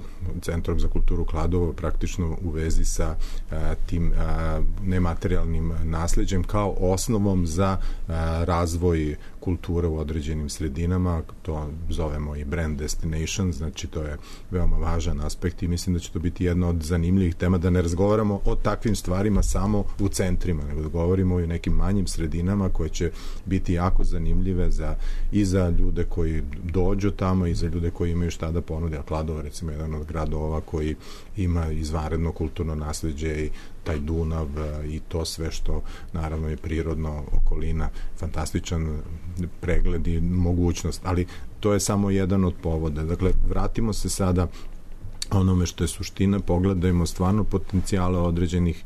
Centrom za kulturu Kladovo praktično u vezi sa uh, tim uh, nematerijalnim nasleđem kao osnovom za uh, razvoj kulture u određenim sredinama, to zovemo i brand destination, znači to je veoma važan aspekt i mislim da će to biti jedna od zanimljivih tema, da ne razgovaramo o takvim stvarima samo u centrima, nego da govorimo i o nekim manjim sredinama koje će biti jako zanimljive za, i za ljude koji dođu tamo i za ljude koji imaju šta da ponude. A Kladovo, recimo, jedan od gradova koji ima izvanredno kulturno nasleđe i taj Dunav i to sve što naravno je prirodno, okolina, fantastičan pregled i mogućnost, ali to je samo jedan od povoda. Dakle, vratimo se sada onome što je suština, pogledajmo stvarno potencijale određenih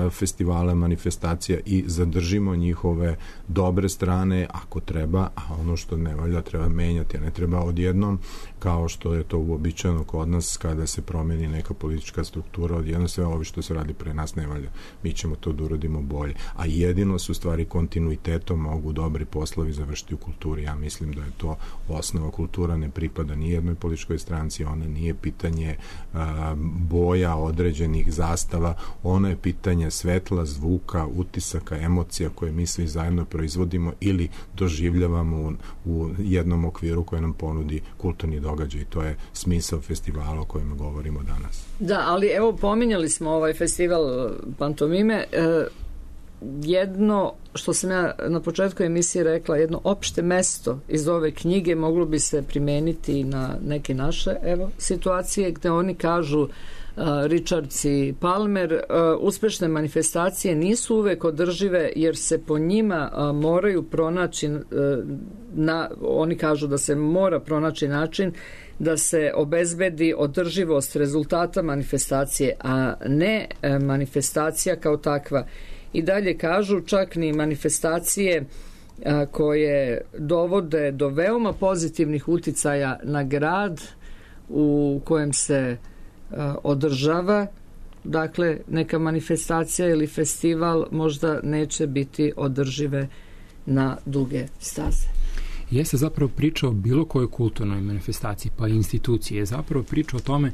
festivala, manifestacija i zadržimo njihove dobre strane ako treba, a ono što ne valja treba menjati, a ne treba odjednom, kao što je to uobičajeno kod nas kada se promeni neka politička struktura, odjednom sve ovo što se radi pre nas ne valja. Mi ćemo to da uradimo bolje. A jedino su stvari kontinuitetom mogu dobri poslovi završiti u kulturi. Ja mislim da je to osnova. Kultura ne pripada ni jednoj političkoj stranci, ona nije pitanje a, boja određenih zastava, ona je pitanje svetla, zvuka, utisaka, emocija koje mi svi zajedno proizvodimo ili doživljavamo u, u jednom okviru koje nam ponudi kulturni događaj. I to je smisao festivala o kojem govorimo danas. Da, ali evo pominjali smo ovaj festival pantomime. E, jedno što sam ja na početku emisije rekla, jedno opšte mesto iz ove knjige moglo bi se primeniti na neke naše evo, situacije gde oni kažu uh, Richards i Palmer, uh, uspešne manifestacije nisu uvek održive jer se po njima uh, moraju pronaći uh, na, oni kažu da se mora pronaći način da se obezbedi održivost rezultata manifestacije, a ne uh, manifestacija kao takva. I dalje kažu, čak ni manifestacije a, koje dovode do veoma pozitivnih uticaja na grad u kojem se a, održava, dakle neka manifestacija ili festival možda neće biti održive na duge staze. Jeste zapravo priča o bilo kojoj kulturnoj manifestaciji, pa i institucije, je zapravo priča o tome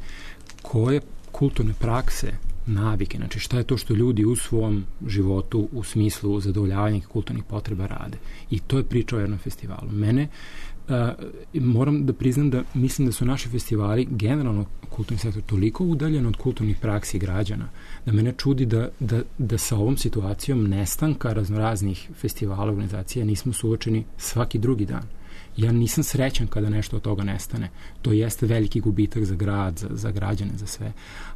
koje kulturne prakse, navike, znači šta je to što ljudi u svom životu u smislu zadovoljavanja kulturnih potreba rade. I to je priča o jednom festivalu. Mene, uh, moram da priznam da mislim da su naši festivali, generalno kulturni sektor, toliko udaljen od kulturnih praksi građana, da mene čudi da, da, da sa ovom situacijom nestanka raznoraznih festivala, organizacija nismo suočeni svaki drugi dan. Ja nisam srećan kada nešto od toga nestane. To jeste veliki gubitak za grad, za, za građane, za sve.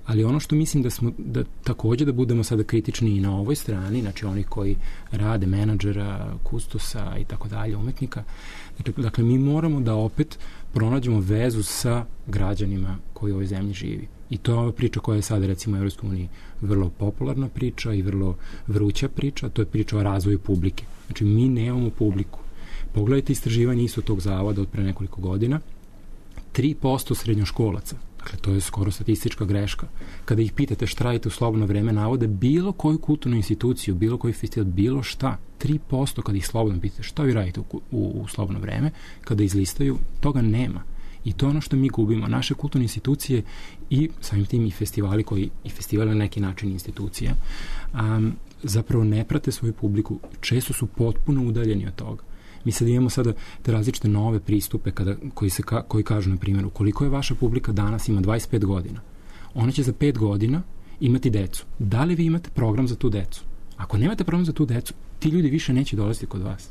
Ali ono što mislim da smo, da takođe da budemo sada kritični i na ovoj strani, znači oni koji rade menadžera, kustosa i tako dalje, umetnika, dakle, dakle mi moramo da opet pronađemo vezu sa građanima koji u ovoj zemlji živi. I to je ova priča koja je sada recimo u Evropskoj uniji vrlo popularna priča i vrlo vruća priča, to je priča o razvoju publike. Znači mi nemamo publiku. Pogledajte istraživanje isto tog zavoda od pre nekoliko godina. tri posto srednjoškolaca, Dakle, to je skoro statistička greška. Kada ih pitate šta radite u slobodno vreme, navode bilo koju kulturnu instituciju, bilo koji festival, bilo šta, tri posto kada ih slobodno pitate šta vi radite u, u, u slobodno vreme, kada izlistaju, toga nema. I to je ono što mi gubimo. Naše kulturne institucije i samim tim i festivali koji, i festivali na neki način institucija, um, zapravo ne prate svoju publiku, često su potpuno udaljeni od toga. Mi sad imamo sada te različite nove pristupe kada, koji, se ka, koji kažu, na primjer, koliko je vaša publika danas, ima dvadeset pet godina. Ona će za pet godina imati decu. Da li vi imate program za tu decu? Ako nemate program za tu decu, ti ljudi više neće dolaziti kod vas.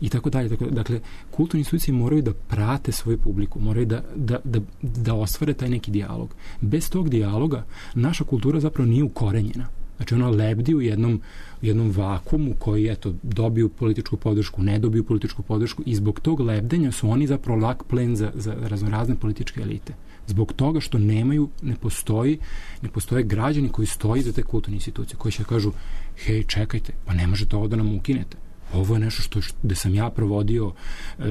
I tako dalje. Dakle, kulturne institucije moraju da prate svoju publiku, moraju da, da, da, da ostvare taj neki dijalog. Bez tog dijaloga naša kultura zapravo nije ukorenjena. Znači, ona lebdi u jednom, u jednom vakumu koji, eto, dobiju političku podršku, ne dobiju političku podršku i zbog tog lebdenja su oni zapravo lak plen za, za raznorazne političke elite. Zbog toga što nemaju, ne postoji, ne postoje građani koji stoji za te kulturne institucije, koji će kažu, hej, čekajte, pa ne možete ovo da nam ukinete. Ovo je nešto što, gde sam ja provodio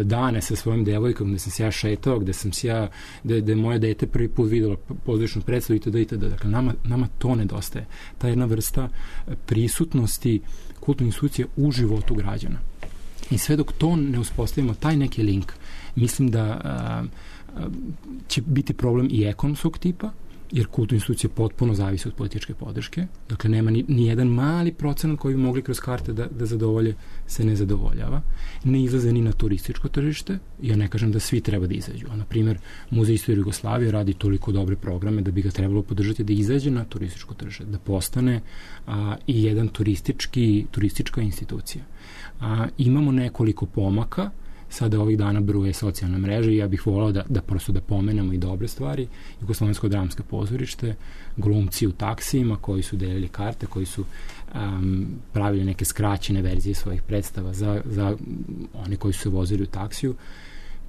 dane sa svojim devojkom, gde sam se ja šetao, gde sam se ja, gde, gde moje dete prvi put videlo pozorišnu predstavu itd. itd. Dakle, nama, nama to nedostaje. Ta jedna vrsta prisutnosti kulturnih institucija u životu građana. I sve dok to ne uspostavimo, taj neki link, mislim da a, a, će biti problem i ekonomskog tipa, jer kulturne institucije potpuno zavise od političke podrške. Dakle, nema ni, ni jedan mali procenat koji bi mogli kroz karte da, da zadovolje, se ne zadovoljava. Ne izlaze ni na turističko tržište. Ja ne kažem da svi treba da izađu. A, na primjer, Muzej istorije Jugoslavije radi toliko dobre programe da bi ga trebalo podržati da izađe na turističko tržište, da postane a, i jedan turistički, turistička institucija. A, imamo nekoliko pomaka. Sada ovih dana bruje socijalne mreže i ja bih volao da, da prosto da pomenemo i dobre stvari. Jugoslovensko dramsko pozorište, glumci u taksijima koji su delili karte, koji su um, pravili neke skraćene verzije svojih predstava za, za one koji su se vozili u taksiju.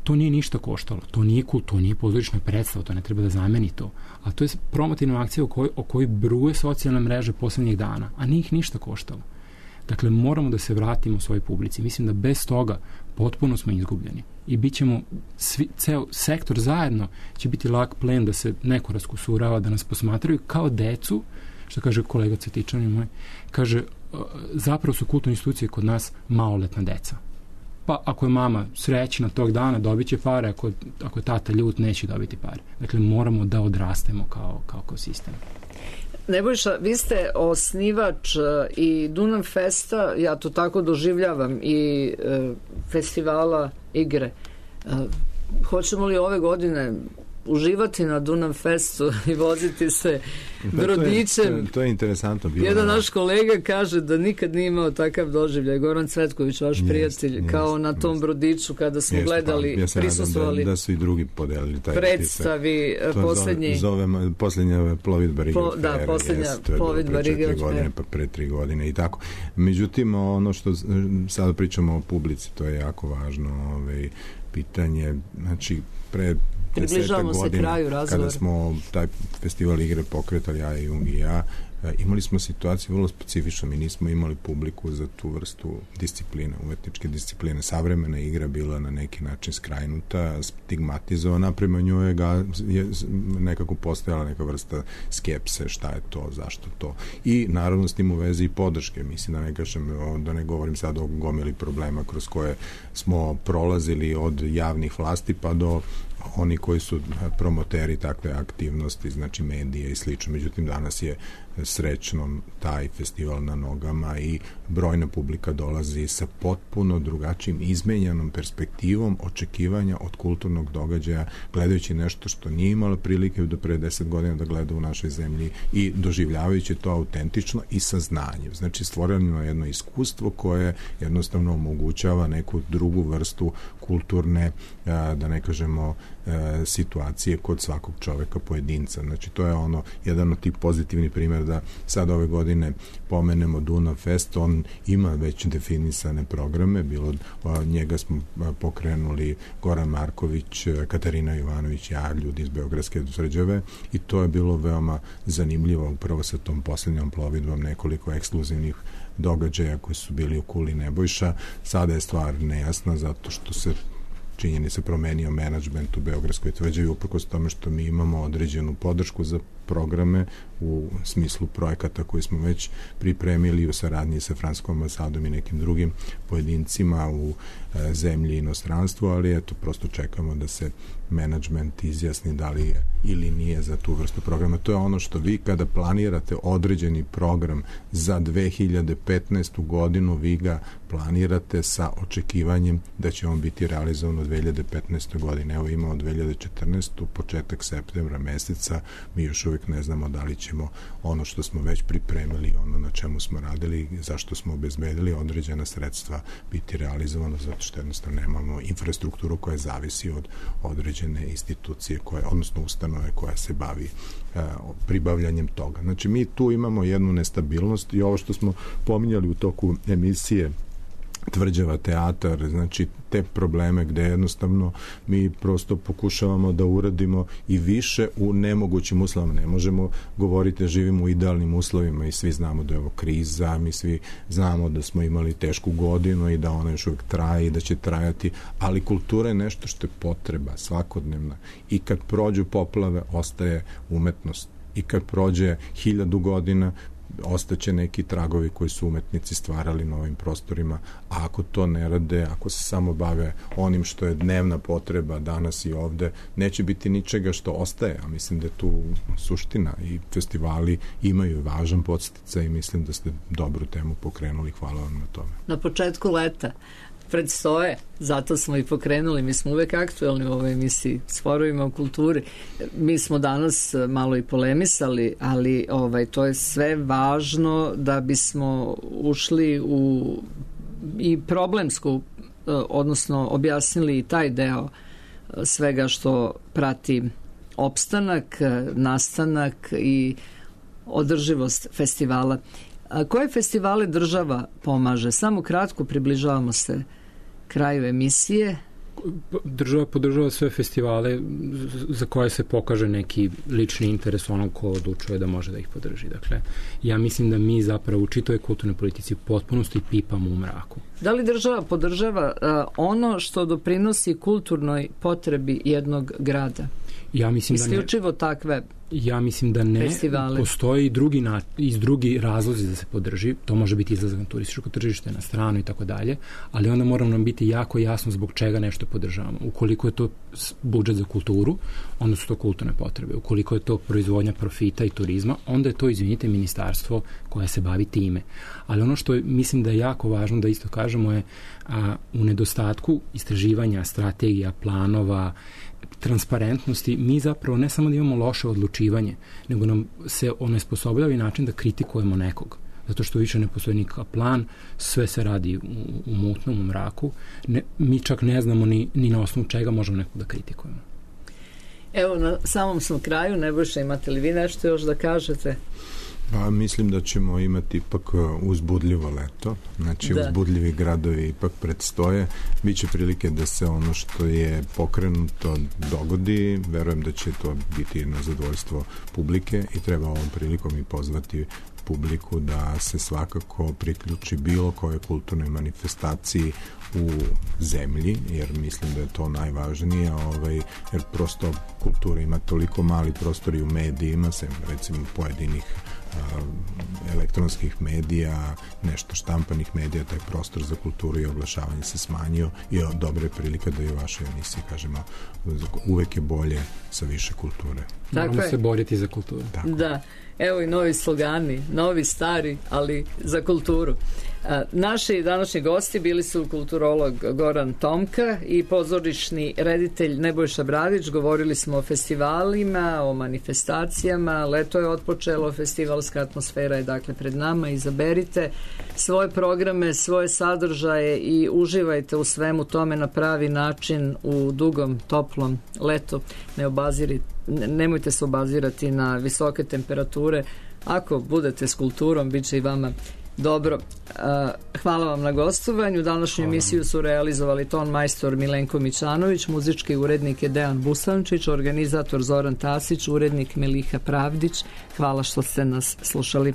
To nije ništa koštalo. To nije kult, to nije pozorišna predstava, to ne treba da zameni to. A to je promotivna akcija o kojoj, o kojoj bruje socijalne mreže poslednjih dana, a nije ih ništa koštalo. Dakle, moramo da se vratimo u svojoj publici. Mislim da bez toga potpuno smo izgubljeni. I bit ćemo, svi, ceo sektor zajedno će biti lak plen da se neko raskusurava, da nas posmatraju kao decu, što kaže kolega Cvetičanin moj, kaže, zapravo su kulturne institucije kod nas maloletna deca. Pa ako je mama srećna tog dana, dobit će pare, ako, ako je tata ljut, neće dobiti pare. Dakle, moramo da odrastemo kao, kao, kao sistem. Nebojša, vi ste osnivač i Dunav Festa, ja to tako doživljavam, i e, festivala igre. E, hoćemo li ove godine uživati na Dunav Festu i voziti se pa brodićem? To je, to je interesantno bilo. Jedan naš kolega kaže da nikad nije imao takav doživljaj. Goran Cvetković, vaš jest, prijatelj, jest, kao na tom jest. brodiću kada smo jest, gledali, pa, ja prisustvovali da, da su i drugi podelili taj predstavi poslednji zove, poslednja plovidba Rigel po, da, poslednja plovidba Rigel godine, pa pre tri godine i tako. Međutim, ono što sada pričamo o publici, to je jako važno ovaj, pitanje, znači pre približavamo se kraju razgovora. Kada smo taj festival igre pokretali, ja i Jung i ja, imali smo situaciju vrlo specifičnu. Mi nismo imali publiku za tu vrstu discipline, umetničke discipline. Savremena igra bila na neki način skrajnuta, stigmatizovana, prema njoj ga, je nekako postojala neka vrsta skepse, šta je to, zašto to. I naravno s tim u vezi i podrške. Mislim da ne kažem, da ne govorim sad o gomili problema kroz koje smo prolazili od javnih vlasti pa do oni koji su promoteri takve aktivnosti, znači medije i slično. Međutim, danas je srećno taj festival na nogama i brojna publika dolazi sa potpuno drugačijim, izmenjenom perspektivom očekivanja od kulturnog događaja, gledajući nešto što nije imala prilike do pre deset godina da gleda u našoj zemlji i doživljavajući to autentično i sa znanjem. Znači, stvoreno je jedno iskustvo koje jednostavno omogućava neku drugu vrstu kulturne, da ne kažemo, situacije kod svakog čoveka pojedinca. Znači, to je ono, jedan od tih pozitivnih primjera da sad ove godine pomenemo Dunav Fest, on ima već definisane programe, bilo od njega smo pokrenuli Goran Marković, Katarina Jovanović, ja, ljudi iz Beogradske Srđave, i to je bilo veoma zanimljivo, upravo sa tom poslednjom plovidbom, nekoliko ekskluzivnih događaja koji su bili u Kuli Nebojša. Sada je stvar nejasna zato što se činjeni se promenio menadžment u Beogradskoj tvrđavi, uprkos tome što mi imamo određenu podršku za programe u smislu projekata koji smo već pripremili u saradnji sa Francuskom ambasadom i nekim drugim pojedincima u e, zemlji i inostranstvu, ali eto, prosto čekamo da se menadžment izjasni da li je ili nije za tu vrstu programa. To je ono što vi kada planirate određeni program za dve hiljade petnaestu godinu, vi ga planirate sa očekivanjem da će on biti realizovan u dve hiljade petnaestoj godine. Evo imamo dve hiljade četrnaestu. početak septembra meseca, mi još uvijek ne znamo da li ćemo ono što smo već pripremili, ono na čemu smo radili, zašto smo obezbedili određena sredstva biti realizovano, zato što jednostavno nemamo infrastrukturu koja zavisi od određene institucije, koje, odnosno ustanove koja se bavi a, pribavljanjem toga. Znači, mi tu imamo jednu nestabilnost i ovo što smo pominjali u toku emisije Tvrđava teatar, znači te probleme gde jednostavno mi prosto pokušavamo da uradimo i više u nemogućim uslovima. Ne možemo govoriti da živimo u idealnim uslovima i svi znamo da je ovo kriza, mi svi znamo da smo imali tešku godinu i da ona još uvijek traje i da će trajati, ali kultura je nešto što je potreba svakodnevna i kad prođu poplave ostaje umetnost i kad prođe hiljadu godina ostaće neki tragovi koji su umetnici stvarali na ovim prostorima, a ako to ne rade, ako se samo bave onim što je dnevna potreba danas i ovde, neće biti ničega što ostaje, a mislim da je tu suština i festivali imaju važan podsticaj i mislim da ste dobru temu pokrenuli, hvala vam na tome. Na početku leta predstoje, zato smo i pokrenuli, mi smo uvek aktuelni u ovoj emisiji s forovima u kulturi. Mi smo danas malo i polemisali, ali ovaj, to je sve važno da bismo ušli u i problemsku, odnosno objasnili i taj deo svega što prati opstanak, nastanak i održivost festivala. A koje festivale država pomaže? Samo kratko približavamo se kraju emisije. Država podržava sve festivale za koje se pokaže neki lični interes onog ko odlučuje da može da ih podrži. Dakle, ja mislim da mi zapravo u čitoj kulturnoj politici u potpunosti pipamo u mraku. Da li država podržava uh, ono što doprinosi kulturnoj potrebi jednog grada? Ja mislim da ne. Isključivo takve Ja mislim da ne. Festivale. Postoji i drugi, na, i drugi razlozi da se podrži. To može biti izlazak na turističko tržište, na stranu i tako dalje, ali onda mora nam biti jako jasno zbog čega nešto podržavamo. Ukoliko je to budžet za kulturu, onda su to kulturne potrebe. Ukoliko je to proizvodnja profita i turizma, onda je to, izvinite, ministarstvo koje se bavi time. Ali ono što je, mislim da je jako važno da isto kažemo je a, u nedostatku istraživanja, strategija, planova, transparentnosti, mi zapravo ne samo da imamo loše odlučivanje, nego nam se onesposobljava i način da kritikujemo nekog. Zato što više ne postoji nikakav plan, sve se radi u, u mutnom, u mraku. Ne, mi čak ne znamo ni, ni na osnovu čega možemo nekog da kritikujemo. Evo, na samom smo kraju. Nebojša, imate li vi nešto još da kažete? Pa mislim da ćemo imati ipak uzbudljivo leto, znači da. Uzbudljivi gradovi ipak predstoje, biće prilike da se ono što je pokrenuto dogodi, verujem da će to biti na zadovoljstvo publike i treba ovom prilikom i pozvati publiku da se svakako priključi bilo koje kulturnoj manifestaciji u zemlji, jer mislim da je to najvažnije, ovaj, jer prosto kultura ima toliko mali prostor i u medijima, sem recimo pojedinih a, elektronskih medija, nešto štampanih medija, taj prostor za kulturu i oglašavanje se smanjio i dobra je prilika da i u vašoj emisiji kažemo uvek je bolje sa više kulture. Moramo Tako se boriti za kulturu. Tako. Da. Evo i novi slogani, novi, stari, ali za kulturu. A, naši današnji gosti bili su kulturolog Goran Tomka i pozorišni reditelj Nebojša Bradić. Govorili smo o festivalima, o manifestacijama. Leto je otpočelo, festivalska atmosfera je dakle pred nama. Izaberite svoje programe, svoje sadržaje i uživajte u svemu tome na pravi način u dugom, toplom letu. Ne obazirite nemojte se obazirati na visoke temperature. Ako budete s kulturom, bit će i vama dobro. Hvala vam na gostovanju. Današnju Hvala. emisiju su realizovali ton majstor Milenko Mićanović, muzički urednik je Dejan Busančić, organizator Zoran Tasić, urednik Meliha Pravdić. Hvala što ste nas slušali.